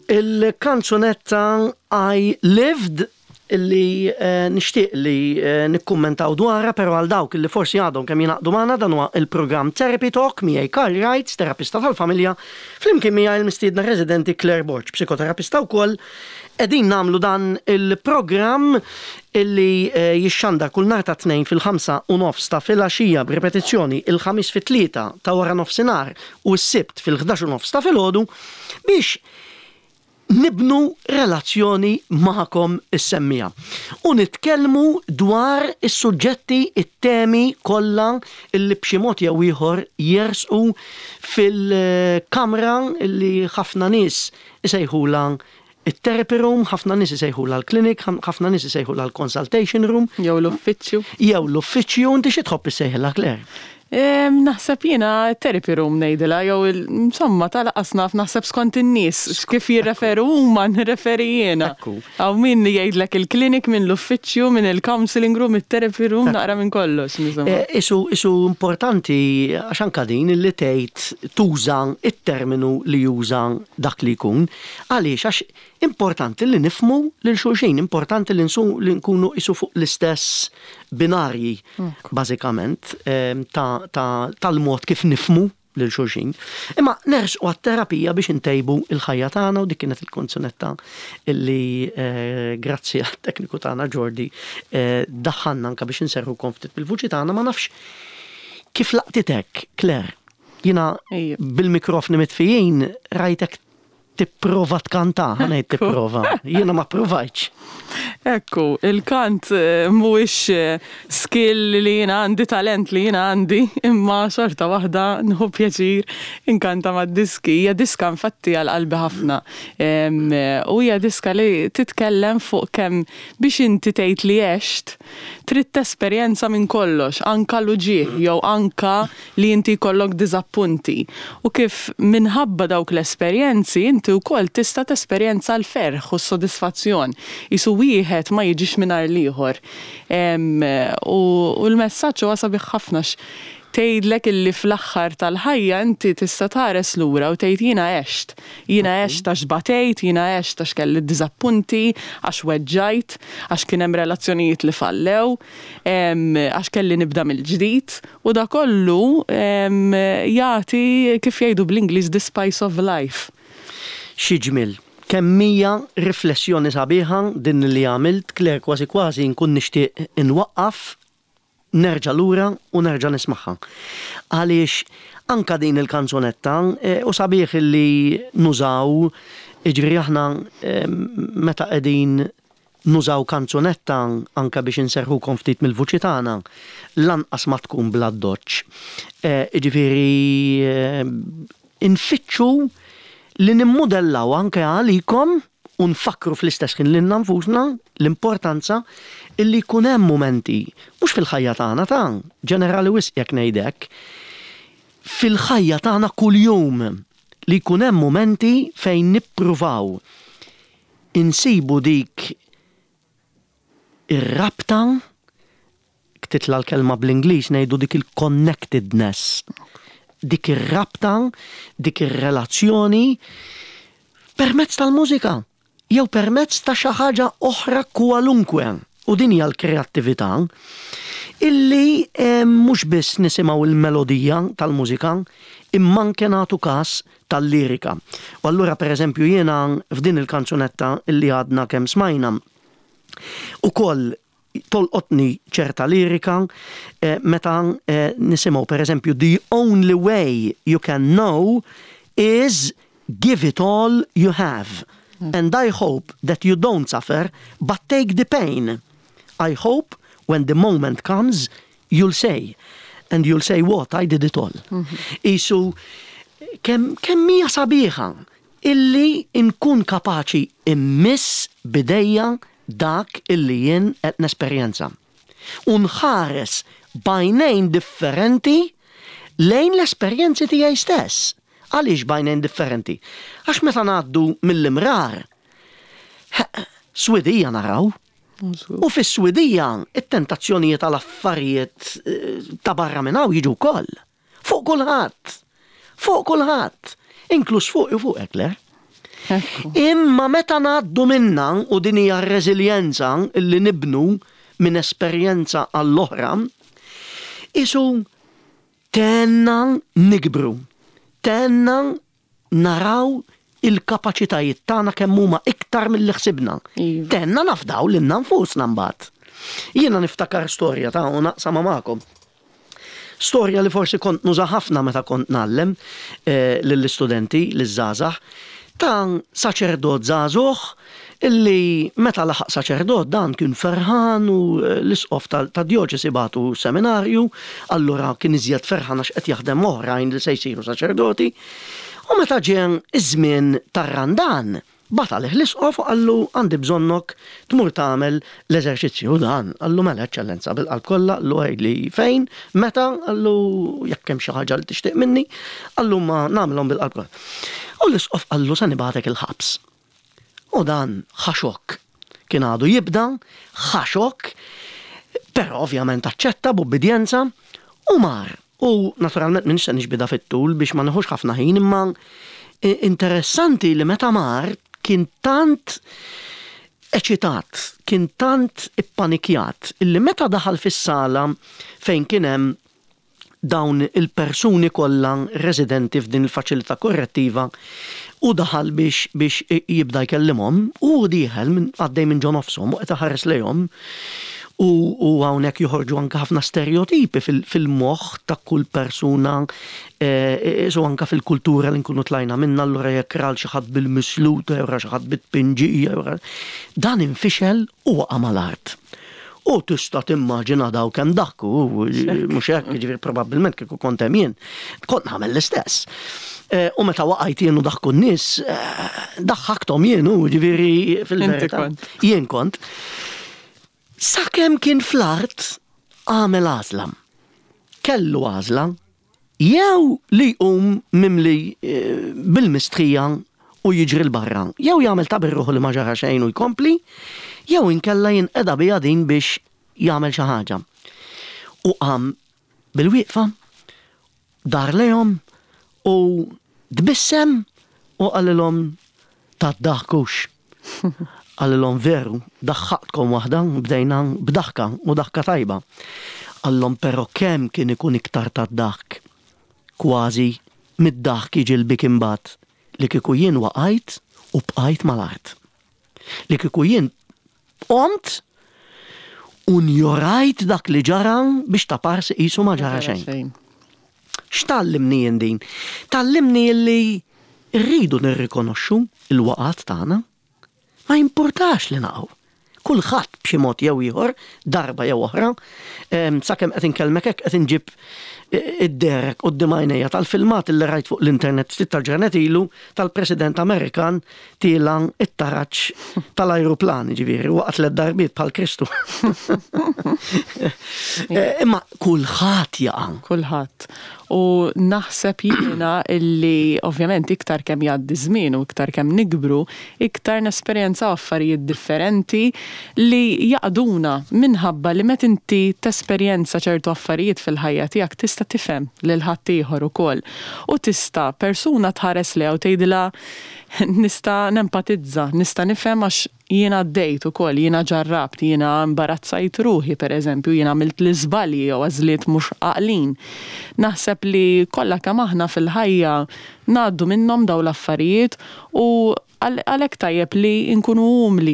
il-kanzunetta I Lived illi eh, nixtieq li eh, nikkummentaw dwarha, pero għal dawk illi forsi għadhom kemm jingħaqdu magħna, dan huwa il-programm Therapy Talk miegħi Karl Wright, terapista tal-familja, flimkien miegħi il-mistiedna residenti Claire Borg, psikoterapista wkoll. Qegħdin nagħmlu dan il-programm illi eh, jixxandar kull nhar ta' Tnejn fil-ħamsa u nofs ta' filgħaxija, b'ripetizzjoni il-Ħamis fit-tlieta ta' wara nofsinhar u s-Sibt fil-ħdax u nofs ta' filgħodu biex nibnu relazzjoni magħkom is-semmiegħa. U nitkellmu dwar is-suġġetti, it-temi kollha illi b'xi mod jew ieħor jersqu fil-kamra illi ħafna nies isejħula it-therapy room, ħafna nies isejħula l-clinic, ħafna nies isejħula l-consultation room, Jew l-uffiċċju. Jew l-uffiċċju. Inti xi tħobb issejħilha, Claire? Em, Naħseb jiena therapy room ngħidilha, jew il- insomma tal-qas naf, naħseb skont in-nies kif jirreferu huma nirreferi jiena. Ekku. Hawn min jgħidlek il-clinic, minn l-uffiċċju, minn il-counseling room, il-therapy room, naqra minn kollox. Insomma. Eh, Isu, isu importanti għax anka din li tgħid tuża it-terminu li juża dak li jkun. Għaliex? Għax importanti li nifhmu lil xulxin, importanti li, nsu, li nkunu isu fuq l-istess binarji, bażikament, eh, ta' ta' tal-mod kif nifhmu lil xulxin. Imma nersqu għat-terapija biex intejbu il-ħajja tagħna u dik kienet il-kanzunetta illi eh, grazzi għat-tekniku tagħna Jordi eh, daħħalna anka biex inserħu ftit bil-vuċi tagħna. Ma nafx kif laqtitek, Claire. Jiena Ejja. bil-mikrofni mitfijin rajtek tipprova tkanta, ħa ngħid tipprova. Jiena ma provajtx. Ekku, il-kant eh, mhuwiex eh, skill li jiena għandi, talent li jiena għandi, imma xorta waħda nieħu pjaċir inkanta mad-diski. Hija diska infatti għal qalbi ħafna. Em, eh, U hija diska li titkellem fuq kemm biex inti tgħid li għext, trid tesperjenza minn kollox, anka l-uġigħ jew anka li inti jkollok diżappunti. U kif minħabba dawk l-esperjenzi inti wkoll tista' tesperjenza l-ferħ u s-sodisfazzjon. Isu wieħed ma jiġix mingħajr l-ieħor. Em, U u l-messaġġ huwa sabiħ ħafna x tgħidlek illi fl-aħħar tal-ħajja inti tista' tħares lura u tgħid jiena għext. Jiena għext għax batejt, jiena għext għax kelli diżappunti, għax weġġajt, għax kien hemm relazzjonijiet li fallew, em, għax kelli nibda mill-ġdid u da kollu em, jagħti, kif jgħidu bl-Ingliż, the spice of life. Xi ġmil. Kemm hija riflessjoni sabiħa din li għamilt, Claire, kważi kważi nkun nixtieq inwaqqaf, nerġa' lura u nerġa' nismagħha. Għaliex anka din il-kanzunetta eh, u sabiħ li nużaw, jiġifieri aħna eh, meta qegħdin nużaw kanzunetta anka biex inserħukom ftit mill-vuċi tagħna, lanqas ma tkun bla doċ. Eh, Jiġifieri eh, infittxu li nimmodellaw anke għalikom u nfakru fl-istess ħin lilna nfusna l-importanza illi jkun hemm momenti, mhux fil-ħajja tagħna, ta' ġenerali wisq jekk ngħidek, fil-ħajja tagħna kuljum li jkun hemm momenti fejn nippruvaw insibu dik ir-rabta, titla l-kelma bl-Ingliż ngħidu dik il-connectedness, dik ir-rabta, dik ir-relazzjoni permezz tal-mużika jew permezz ta' xi ħaġa oħra kwalunkwe. u din hija l-kreattività, illi eh, mhux biss nisimgħu il-melodija tal-mużika, imma anke nagħtu każ tal-lirika. U allura, pereżempju, jiena f'din il-kanzunetta illi għadna kemm smajna, ukoll tolqotni ċerta lirika eh, meta eh, nisimgħu, pereżempju, "The only way you can know is give it all you have. And I hope that you don't suffer, but take the pain. I hope when the moment comes, you'll say. And you'll say what? I did it all." Isu, kemm kemm hija sabiħa illi nkun kapaċi immiss b'idejja dak illi jien qed nesperjenza. U nħares b'għajnejn differenti lejn l-esperjenzi tiegħi stess. Għaliex b'għajnejn differenti? Għax meta ngħaddu mill-imrar, swidija naraw, u fis-swidija it-tentazzjonijiet tal-affarijiet eh, ta' barra minn hawn jiġu wkoll. Fuq kulħadd. Fuq kulħadd. Inkluż fuq u fuq Claire. Ekku. Imma meta ngħaddu minna, u din hija r-reżiljenza illi nibnu minn esperjenza għall-oħra, isu tenna nikbru, tenna naraw il-kapaċitajiet tagħna kemm huma iktar milli ħsibna. Iva. Tenna nafdaw lilna nfusna mbagħad. Jiena niftakar storja ta' u naqsama magħkom. Storja li forsi kont nuża ħafna meta kont ngħallem eh, lill-istudenti, liż-żgħażagħ, ta' saċerdot żagħżugħ illi meta laħaq saċerdot dan kien ferħan u eh, l-isqof ta' djoċesi bagħtu seminarju, allura kien iżjed ferħan għax qed jaħdem oħrajn li se jsiru saċerdoti. U meta ġie iż-żmien tar-Randan, bagħat għalih l-isqof u qallu, "Għandi bżonnok tmur tagħmel l-eżerċizzju." Dan qallu, "Mela, Eċċellenza, bil-qalb kollha." Qallu, "Għidli fejn, meta." Qallu, "Jekk hemm xi ħaġa li tixtieq minni," qallu, "ma nagħmilhom bil-qalb kollha." U l-isqof qallu, "Se nibagħtek il-ħabs." U dan ħa xokk. Kien għadu jibda, ħa xokk, però ovvjament aċċetta b'ubbidjenza u mar. U naturalment minn se nixbida fit-tul biex ma neħux ħafna ħin, imma interessanti li meta mar kien tant eċitat, kien tant ippanikjat, illi meta daħal fis-sala fejn kien hemm dawn il-persuni kollha residenti f'din il-faċilità korrettiva u daħal biex, biex jibda jkellimhom, u dieħel minn għaddej minn ġo nofshom u qed iħares lejhom, u, u hawnhekk joħorġu anke ħafna stereotipi fil-moħħ ta' kull persuna e, so anke fil-kultura li nkunu tlajna minna, allura jekk ra xi ħadd bil-misluta jew ra xi ħadd bit-pinġija, dan infixel u waqa' mal-art. U tista' timmaġina daw kemm daħku, mhux hekk, jiġifieri probabbilment kieku kont hemm jien, kont nagħmel l-istess. U meta waqajt jien u daħku n-nies, daħħakthom jien, u ġifieri fil-verità. Jien kont. Sakemm kien fl-art għamel għażla. Kellu għażla jew li jqum mimli bil-mistħija u jiġri 'l barra, jew jagħmel ta' birruħu li ma ġara xejn u jkompli, jew inkella jinqeda biha din biex jagħmel xi ħaġa. U qam bil-wieqfa, dar lejhom u tbissem u qalilhom, "Taddaħkux." Qalilhom, "Veru, daħħaqtkom waħda, bdejna b'daħka u daħka tajba." Qallhom, "Però kemm kien ikun iktar tad-daħk, kważi mid-daħk jiġi l-biki mbagħad, li kieku jien waqajt u bqajt mal-art. Li kieku jien qomt u njorajt dak li ġara biex ta' parsi qisu ma ġara xejn." X'tgħallimni jien din? Tgħallimni li rridu nirrikonoxxu il-waqat tagħna. Ma jimpurtax li naqgħu. Kulħadd b'xi mod jew ieħor, darba jew oħra, sakemm qed inkellmek hekk qed inġib id-derek quddiem għajnejja tal-filmat li rajt fuq l-internet ftit tal-ġranet ilu tal-President Amerikan tiela' it-taraġ tal-ajruplan, ġifieri, waqgħet tliet darbiet bħal Kristu. Imma kulħadd jaqa'. Kulħadd. U naħseb jiena illi ovvjament iktar kemm jgħaddi żmien u iktar kemm nikbru, iktar nesperjenzaw affarijiet differenti li jaqduna, minħabba li meta inti tesperjenza ċertu affarijiet fil-ħajja tiegħek tista' tifhem lil ħaddieħor ukoll. U tista' persuna tħares lejha u tgħidilha, "Nista' nempatizza, nista' nifhem għax Jiena għaddejt ukoll, jiena ġarrabt, jiena imbarazzajt ruħi, per eżempju, jiena għamilt l-iżbalji jew għażliet mhux għaqlin. Naħseb li kollha kemm aħna fil-ħajja ngħaddu minnhom dawn l-affarijiet u għalhekk tajjeb li nkunu umli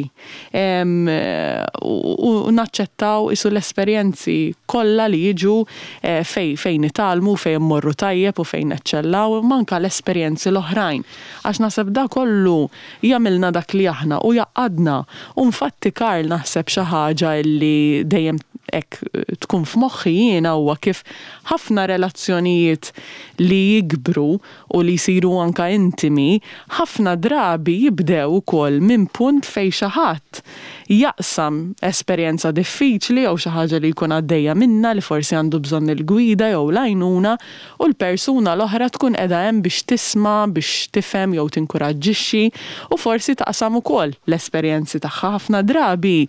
u naċċettaw isu l-esperjenzi kollha li jiġu eh, fej fejn nitgħallmu, fejn mmorru tajjeb u fejn neċċellaw, manka l-esperjenzi l-oħrajn. Għax naħseb da kollu jagħmilna dak li aħna u jgħaqqadna. U infatti, Karl, naħseb xi ħaġa li dejjem hekk tkun f'moħħi jiena huwa kif ħafna relazzjonijiet li jikbru u li jsiru anka intimi, ħafna drabi jibdew ukoll minn punt fejn xi ħadd jaqsam esperjenza diffiċli jew xi ħaġa li jkun għaddejja minna li forsi għandu bżonn il-gwida jew l-għajnuna u l-persuna l-oħra tkun qiegħda hemm biex tisma', biex tifhem jew tinkuraġġixxi u forsi taqsam ukoll l-esperjenzi tagħha. Ħafna drabi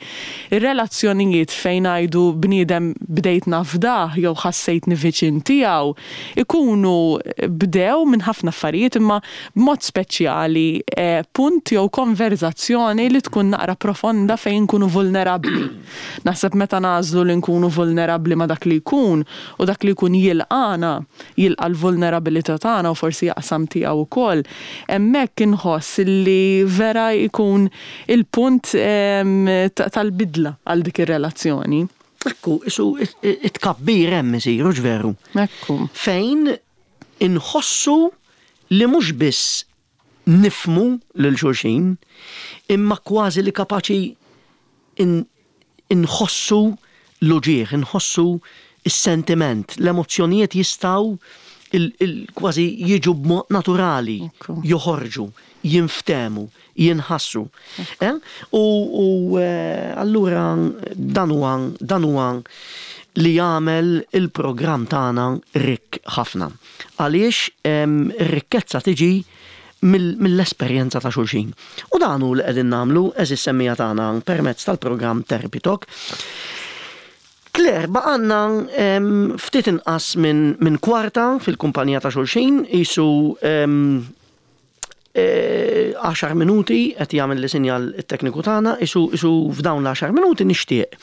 ir-relazzjonijiet fejn ngħidu bniedem bdejt nafdah jew ħassejtni viċin tiegħu ikunu bdew minn ħafna affarijiet, imma b'mod speċjali eh, punt jew konverzazzjoni li tkun naqra profonda fejn nkunu vulnerabbli. Naħseb meta nagħżlu li nkunu vulnerabbli ma' dak li jkun u dak li jkun jilqana, jilqa l-vulnerabilità tagħna u forsi jaqsam tiegħu wkoll, hemmhekk inħoss li vera jkun il-punt tal-bidla għal dik ir-relazzjoni. Ekku, isu it-tkabbir hemm isiru, veru? Ekku. Fejn inħossu li mhux biss nifhmu lil xulxin, imma kważi li kapaċi inħossu l-uġigħ, inħossu il-sentiment, l-emozjonijiet jistgħu kważi jiġu b'mod naturali, joħorġu, jinftehmu, jinħassu. Eh? U eh, allura dan huwa dan huwa li jagħmel il-programm tagħna rikk ħafna. Għaliex ir-rikkezza tiġi mill-esperjenza ta' xulxin. U dan hu li qegħdin nagħmlu, għeżież semmiegħa tagħna, permezz tal-programm Therapy Talk. Claire, baqgħalna ftit inqas minn min kwarta fil-kumpanija ta' xulxin, isu għaxar minuti qed jagħmel li sinjal it-tekniku tagħna, isu isu f'dawn l-għaxar minuti nixtieq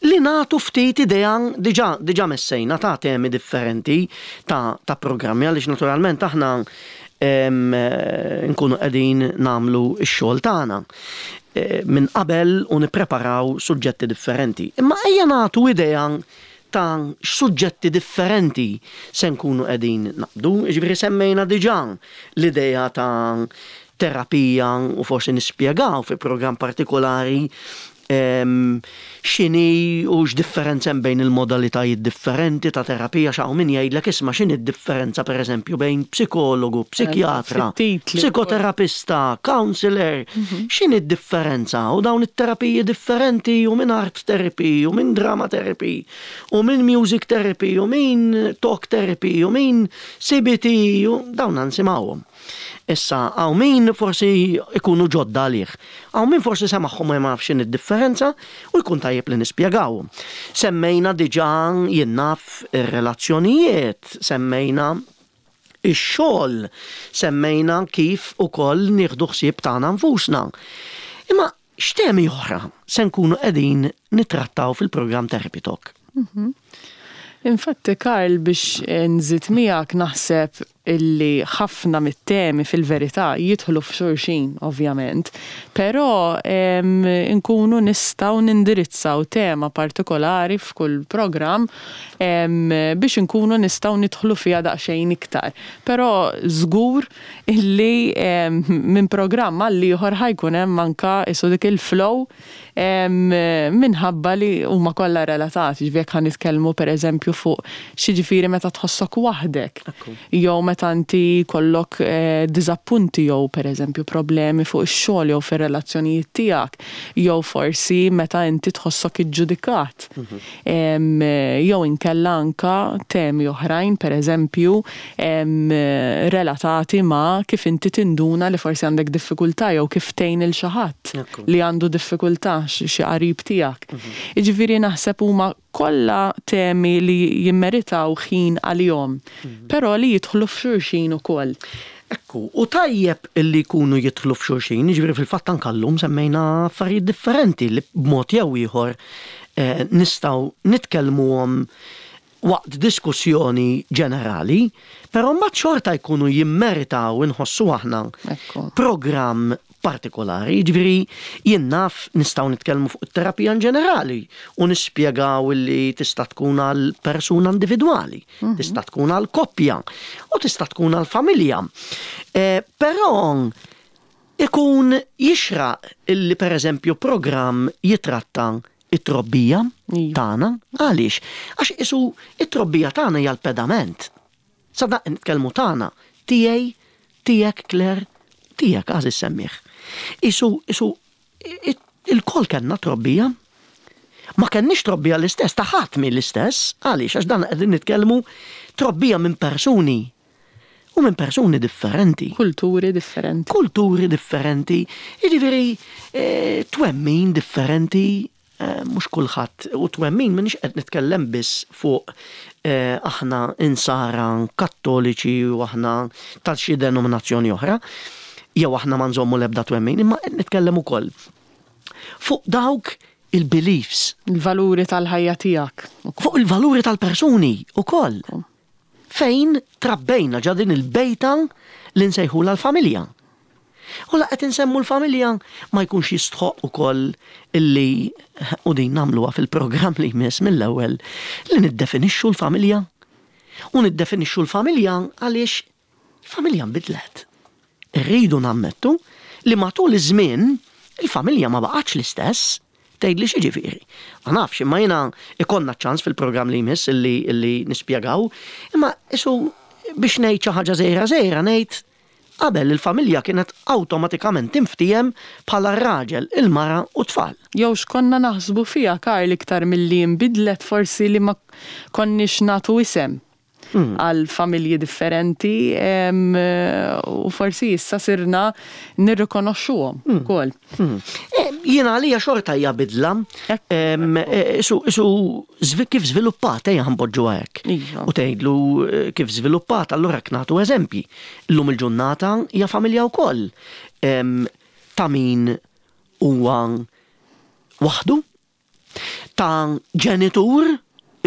li nagħtu ftit idea. Diġà diġà messejna ta' temi differenti ta', ta' programmi, għaliex naturalment aħna nkunu qegħdin nagħmlu x-xogħol tagħna e, minn qabel u nippreparaw suġġetti differenti. Imma ejja nagħtu idea ta' suġġetti differenti se nkunu qegħdin naqbdu. Ġifieri semmejna diġà l-idea ta' terapija u forsi nispjegaw fi programm partikolari x'inhi u x'differenza hemm bejn il-modalitajiet differenti ta' terapija. X'hawn min jgħidlek, "Isma', x'inhi d-differenza pereżempju bejn psikologu, psikjatra, psikoterapista, counselor, mhm. x'inhi d-differenza u dawn it-terapiji differenti u minn art therapy u minn drama therapy u minn music therapy u minn talk therapy u minn C B T u dawn nisimgħuhom. Issa, hawn min forsi ikunu ġodda għalih. Hawn min forsi semagħhom ma jafx id-differenza u jkun tajjeb li nispjegaw. Semmejna diġà, jien naf, ir-relazzjonijiet, semmejna ix-xogħol, semmejna kif ukoll nieħdu ħsieb tagħna nfusna. Imma x'temi oħra se nkunu qegħdin nittrattaw fil-programm Therapy Talk? Mhm. Infatti, Karl, biex nżid miegħek, naħseb illi ħafna mit-temi fil-verità jidħlu f'xulxin, ovvjament, però nkunu nistgħu nindirizzaw tema partikolari f'kull programm biex nkunu nistgħu nidħlu fiha daqsxejn iktar. Però żgur illi minn programm għal ieħor ħa jkun hemm anka isu dik il-flow minħabba li huma kollha relatati. Ġifieri jekk ħa nitkellmu pereżempju fuq x'jiġifieri meta tħossok waħdek, jew meta inti jkollok eh, diżappunti jew pereżempju problemi fuq ix-xogħol jew fir-relazzjonijiet tiegħek, jew forsi meta inti tħossok iġġudikat. Em, Jew inkella anka temi oħrajn, pereżempju em, relatati ma' kif inti tinduna li forsi għandek diffikultà jew kif tgħin il xi ħadd Ekku. li għandu diffikultà, xi xi qarib tiegħek. Jiġifieri naħseb huma kollha temi li jimmeritaw ħin għalihom, però li jidħlu f'xulxin ukoll. Ekku, u tajjeb illi jkunu jidħlu f'xulxin, jiġifieri fil-fatt anke llum semmejna affarijiet differenti li b'mod jew ieħor eh, nistgħu nitkellmuhom waqt diskussjoni ġenerali, però mbagħad xorta jkunu jimmeritaw inħossu aħna Ekku. programm partikolari, jiġifieri jien naf nistgħu nitkellmu fuq it-terapija in ġenerali u nispjegaw illi tista' tkun għal persuna individwali, tista' tkun għal koppja u tista' tkun għal familja. Eh, però ikun jixraq illi per eżempju programm jitratta it-trobbija Iva. tagħna. Għaliex? Għax isu it-trobbija tagħna hija l-pedament. Sadaq nitkellmu tagħna, tiegħi, tiegħek Claire, tiegħek għażiż semmiegħ. Isu, isu, i- il-koll kellna trobbija. Ma kenniex trobbija l-istess, ta' ħadd mi l-istess, għaliex għax dan qegħdin nitkellmu trobbija minn persuni u minn persuni differenti Kulturi differenti. Kulturi differenti, jiġifieri eh, twemmin differenti, eh, mhux kulħadd, u twemmin m'iniex qed nitkellem biss fuq eh, aħna insara kattoliċi u aħna tal xi denominazzjoni oħra, jew aħna ma nżommu l-ebda twemmin, imma qed nitkellem ukoll fuq dawk il-beliefs, Il-valuri tal-ħajja tiegħek. Fuq il-valuri tal-persuni ukoll. Fejn trabbejna ġa din il-bejta li nsejħula l-familja. U la qed insemmu l-familja, ma jkunx jistħoq ukoll illi, u din nagħmluha fil-programm li jmiss mill-ewwel, li niddefinixxu l-familja. U niddefinixxu l-familja għaliex il-familja nbidlet. Irridu nammettu li matul iż-żmien il-familja ma baqgħetx l-istess. Tgħidli x'jiġifieri? Ma nafx, imma jiena ikollna ċans fil-programm li jmiss illi, illi nispjegaw, imma isu biex ngħid xi ħaġa żgħira żgħira ngħid qabel il-familja kienet awtomatikament tinftiehem bħala r-raġel, il-mara u tfal. Jew x'konna naħsbu fiha, Karl, iktar milli nbidlet, forsi li ma konniex nagħtu isem għal familji differenti em, u forsi issa sirna nirrikonoxxuhom ukoll. Mm. Eh, Jiena għalija xorta hija bidla. Ekku, Em, eh, Isu, isu zvi- kif żviluppat, ejja npoġġu hekk. Iva. U tgħidlu eh, kif żviluppat, allura nagħtu eżempji. Illum il-ġurnata hija familja wkoll. Em, Ta' min huwa waħdu, ta' ġenitur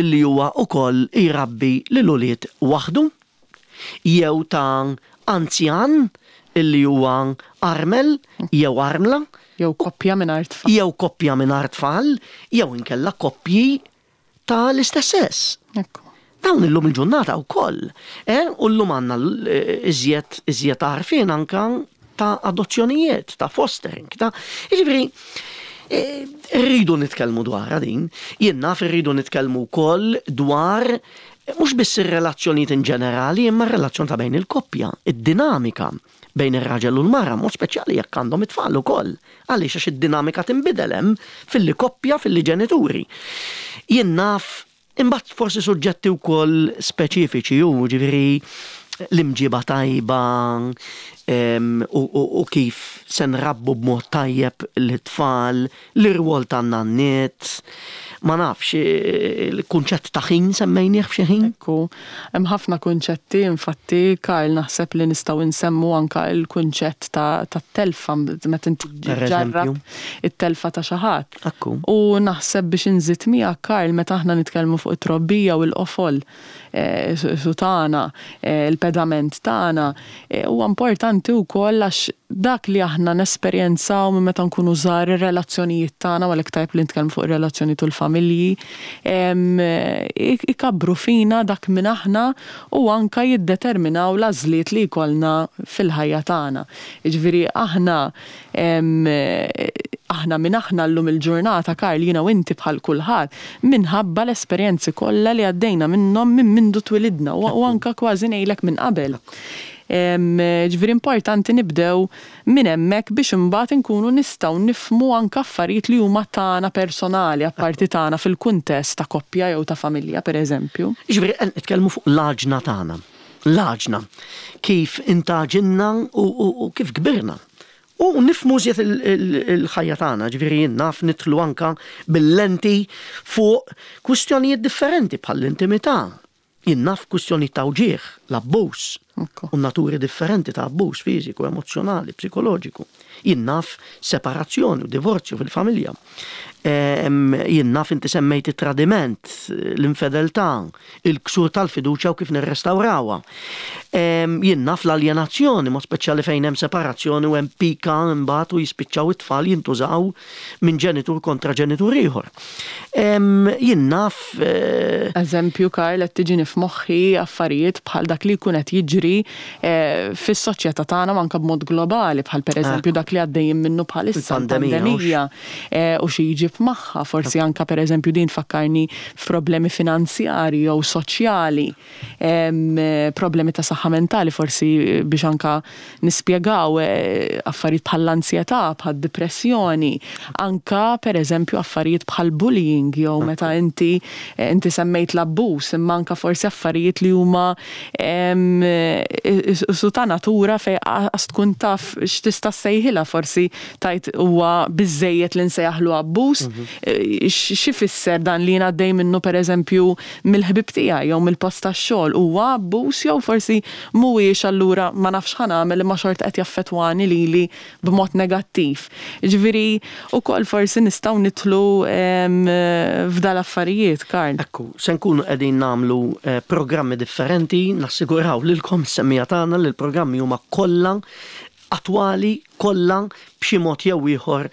illi huwa ukoll jrabbi lil ulied waħdu, jew ta' anzjan illi huwa armel jew armla, Jew koppja mingħajr tfal. Jew koppja mingħajr tfal, jew inkella koppji ta' l-istess sess. Ekku. Dawn illum il-ġurnata wkoll. Eh, u llum għandna l- iżjed iżjed għarfien anka ta' adozzjonijiet, ta' fostering, ta' jiġifieri eh, rridu nitkellmu dwar din, jien naf irridu nitkellmu wkoll dwar eh, mhux biss ir-relazzjonijiet in ġenerali, imma r-relazzjoni ta' bejn il-koppja, id-dinamika bejn ir-raġel u l-mara, mod speċjali jekk għandhom it-tfal ukoll. Għaliex? Għax id-dinamika tinbidel hemm filli koppja, filli ġenituri. Jien naf imbagħad forsi suġġetti wkoll speċifiċi u ġifieri l-imġiba tajba em, u, u, u kif se nrabbu b'mod tajjeb l-tfal, l-irwol tan-nanniet, ma nafx, eh, il-kunċett ta' ħin semmejnieh f'xi ħin. Ekku, hemm ħafna kunċetti, infatti, Karl, naħseb li nistgħu nsemmu anka il-kunċett ta' ta' telfa meta inti Per ġarrab eżempju. it-telfa ta' xi ħadd. Ekku. U naħseb biex inżid miegħek, Karl, meta aħna nitkellmu fuq it-trobbija u l-qofol eh, su su tagħna, eh, il-pedament tagħna, eh, huwa importanti wkoll għax dak li aħna nesperjenzaw minn meta nkunu żgħar, ir-relazzjonijiet tagħna, u għalhekk tajb li nitkellmu fuq ir-relazzjoni tul familji, em, ik- ikabbru fina dak minn aħna u anka jiddeterminaw l-għażliet li jkollna fil-ħajja tagħna. Jiġifieri aħna em, aħna minn aħna llum il-ġurnata, Karl, jiena u inti bħal kulħadd, minħabba l-esperjenzi kollha li għaddejna minnhom minn mindu twilidna u u anka kważi ngħidlek minn qabel. Em, Ġifieri importanti nibdew minn hemmhekk biex imbagħad inkunu nistgħu nifhmu anka affarijiet li huma tagħna personali, apparti tagħna fil-kuntest ta' koppja jew ta' familja, pereżempju. Ġifieri qed nitkellmu fuq l-għaġna tagħna. L-għaġna. Kif intgħaġinna u, u, u kif kbirna. U nifhmu iżjed il- il- il-ħajja tagħna, ġifieri jien naf nidħlu anka bil-lenti fuq kwistjonijiet differenti bħall-intimità. Jien naf kwistjonijiet ta' wġieħ, l-abbuż, U naturi differenti ta' abbuż fiżiku, emozjonali, psikoloġiku. Jien naf separazzjoni u divorzju fil-familja. Jien naf, inti semmejt it-tradiment, l-infedeltà, il-ksur tal-fiduċja u kif nirrestawrawha. Jien naf l-aljenazzjoni, mod speċjali fejn hemm separazzjoni u hemm pika mbagħad u jispiċċaw it-tfal jintużaw minn ġenitur kontra ġenitur ieħor. Jien naf. Eh, Eżempju, Karl, qed tiġini f'moħħi affarijiet bħal dak li jkun qed jiġri eh, fis-soċjetà tagħna anke b'mod globali, bħal pereżempju dak li għaddejjin minnu bħalissa, il-pandemija eh, u xi jġib magħha, forsi anka pereżempju din fakkarni f'problemi finanzjari jew soċjali, problemi ta' saħħa mentali, forsi biex anka nispjegaw eh, affarijiet bħall-ansjetà, bħal depressjoni, anka pereżempju affarijiet bħal bullying jew meta inti eh, inti semmejt l-abbuż, imma anka forsi affarijiet li huma su ta' natura fej għas tkun taf x'tista' ssejħilha, forsi tajt huwa biżejjed li nsejjaħlu abbuż, mhm. eh, x'ifisser dan li għaddej minnu pereżempju mill-ħbib tiegħi jew mill-post tax-xogħol, huwa abbuż jew forsi mhuwiex, allura ma nafx ħa nagħmel imma xorta qed jaffettwani lili b'mod negattiv? Ġifieri ukoll forsi nistgħu nidħlu f'dal affarijiet, Karl. Ekku, se nkunu qegħdin nagħmlu eh, programmi differenti, nassiguraw lilkom is-semmiegħa tagħna li l-programmi huma kollha attwali, kollha b'xi mod jew ieħor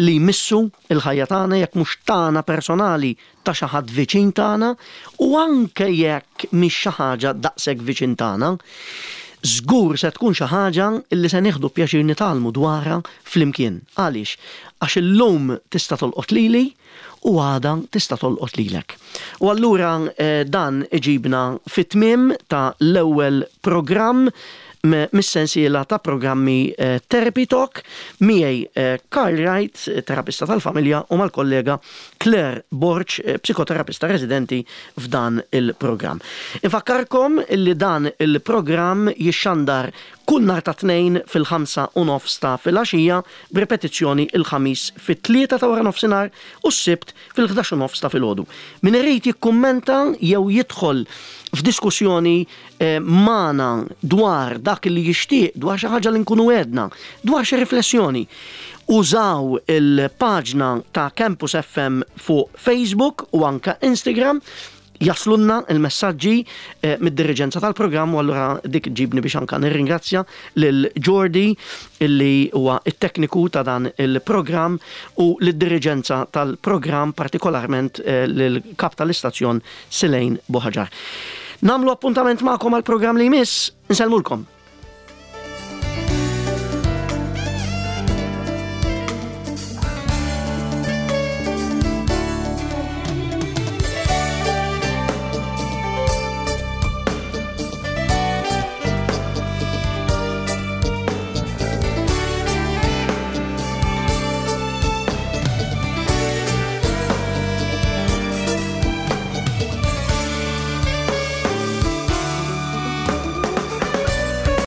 li jmissu il-ħajja tagħna, jekk mhux tagħna personali, ta' xi ħadd viċin tagħna, u anke jekk mhix xi ħaġa daqshekk viċin tagħna, żgur se tkun xi ħaġa li se nieħdu pjaċir nitgħallmu dwarha flimkien. Għaliex? Għax illum tista' tolqot lili u għada tista' tolqot lilek. U allura eh, dan iġibna fit-tmiem ta' l-ewwel programm mis-sensiela ta' programmi eh, Therapy Talk miegħi eh, Karl Wright, terapista tal-familja, u mal-kollega Claire Borg, eh, psikoterapista residenti f'dan il-programm. Infakkarkom li dan il-programm jixxandar kull nhar ta' Tnejn fil-ħamsa u nofs ta' filgħaxija, b'repetizzjoni il-Ħamis fit-tlieta ta' wara nofsinhar u s-Sibt fil-ħdax u nofs ta' filgħodu. Min irid jikkummenta jew jidħol f'diskussjoni eh, magħna dwar dak li jixtieq, dwar xi ħaġa li nkunu għedna, dwar xi riflessjoni, użaw il-paġna ta' Campus F M fuq Facebook u anka Instagram, jaslunna il-messaġġi eh, mid-diriġenza tal-programm. U allura dik ġibni biex anka nirringrazzja lil Jordi illi huwa it-tekniku ta' dan il-programm u lid-diriġenza tal-programm, partikolarment eh, lil-kap tal-istazzjon Silejn Buħaġar. Nagħmlu appuntament magħkom għal programm li jmiss, nsellmulkom.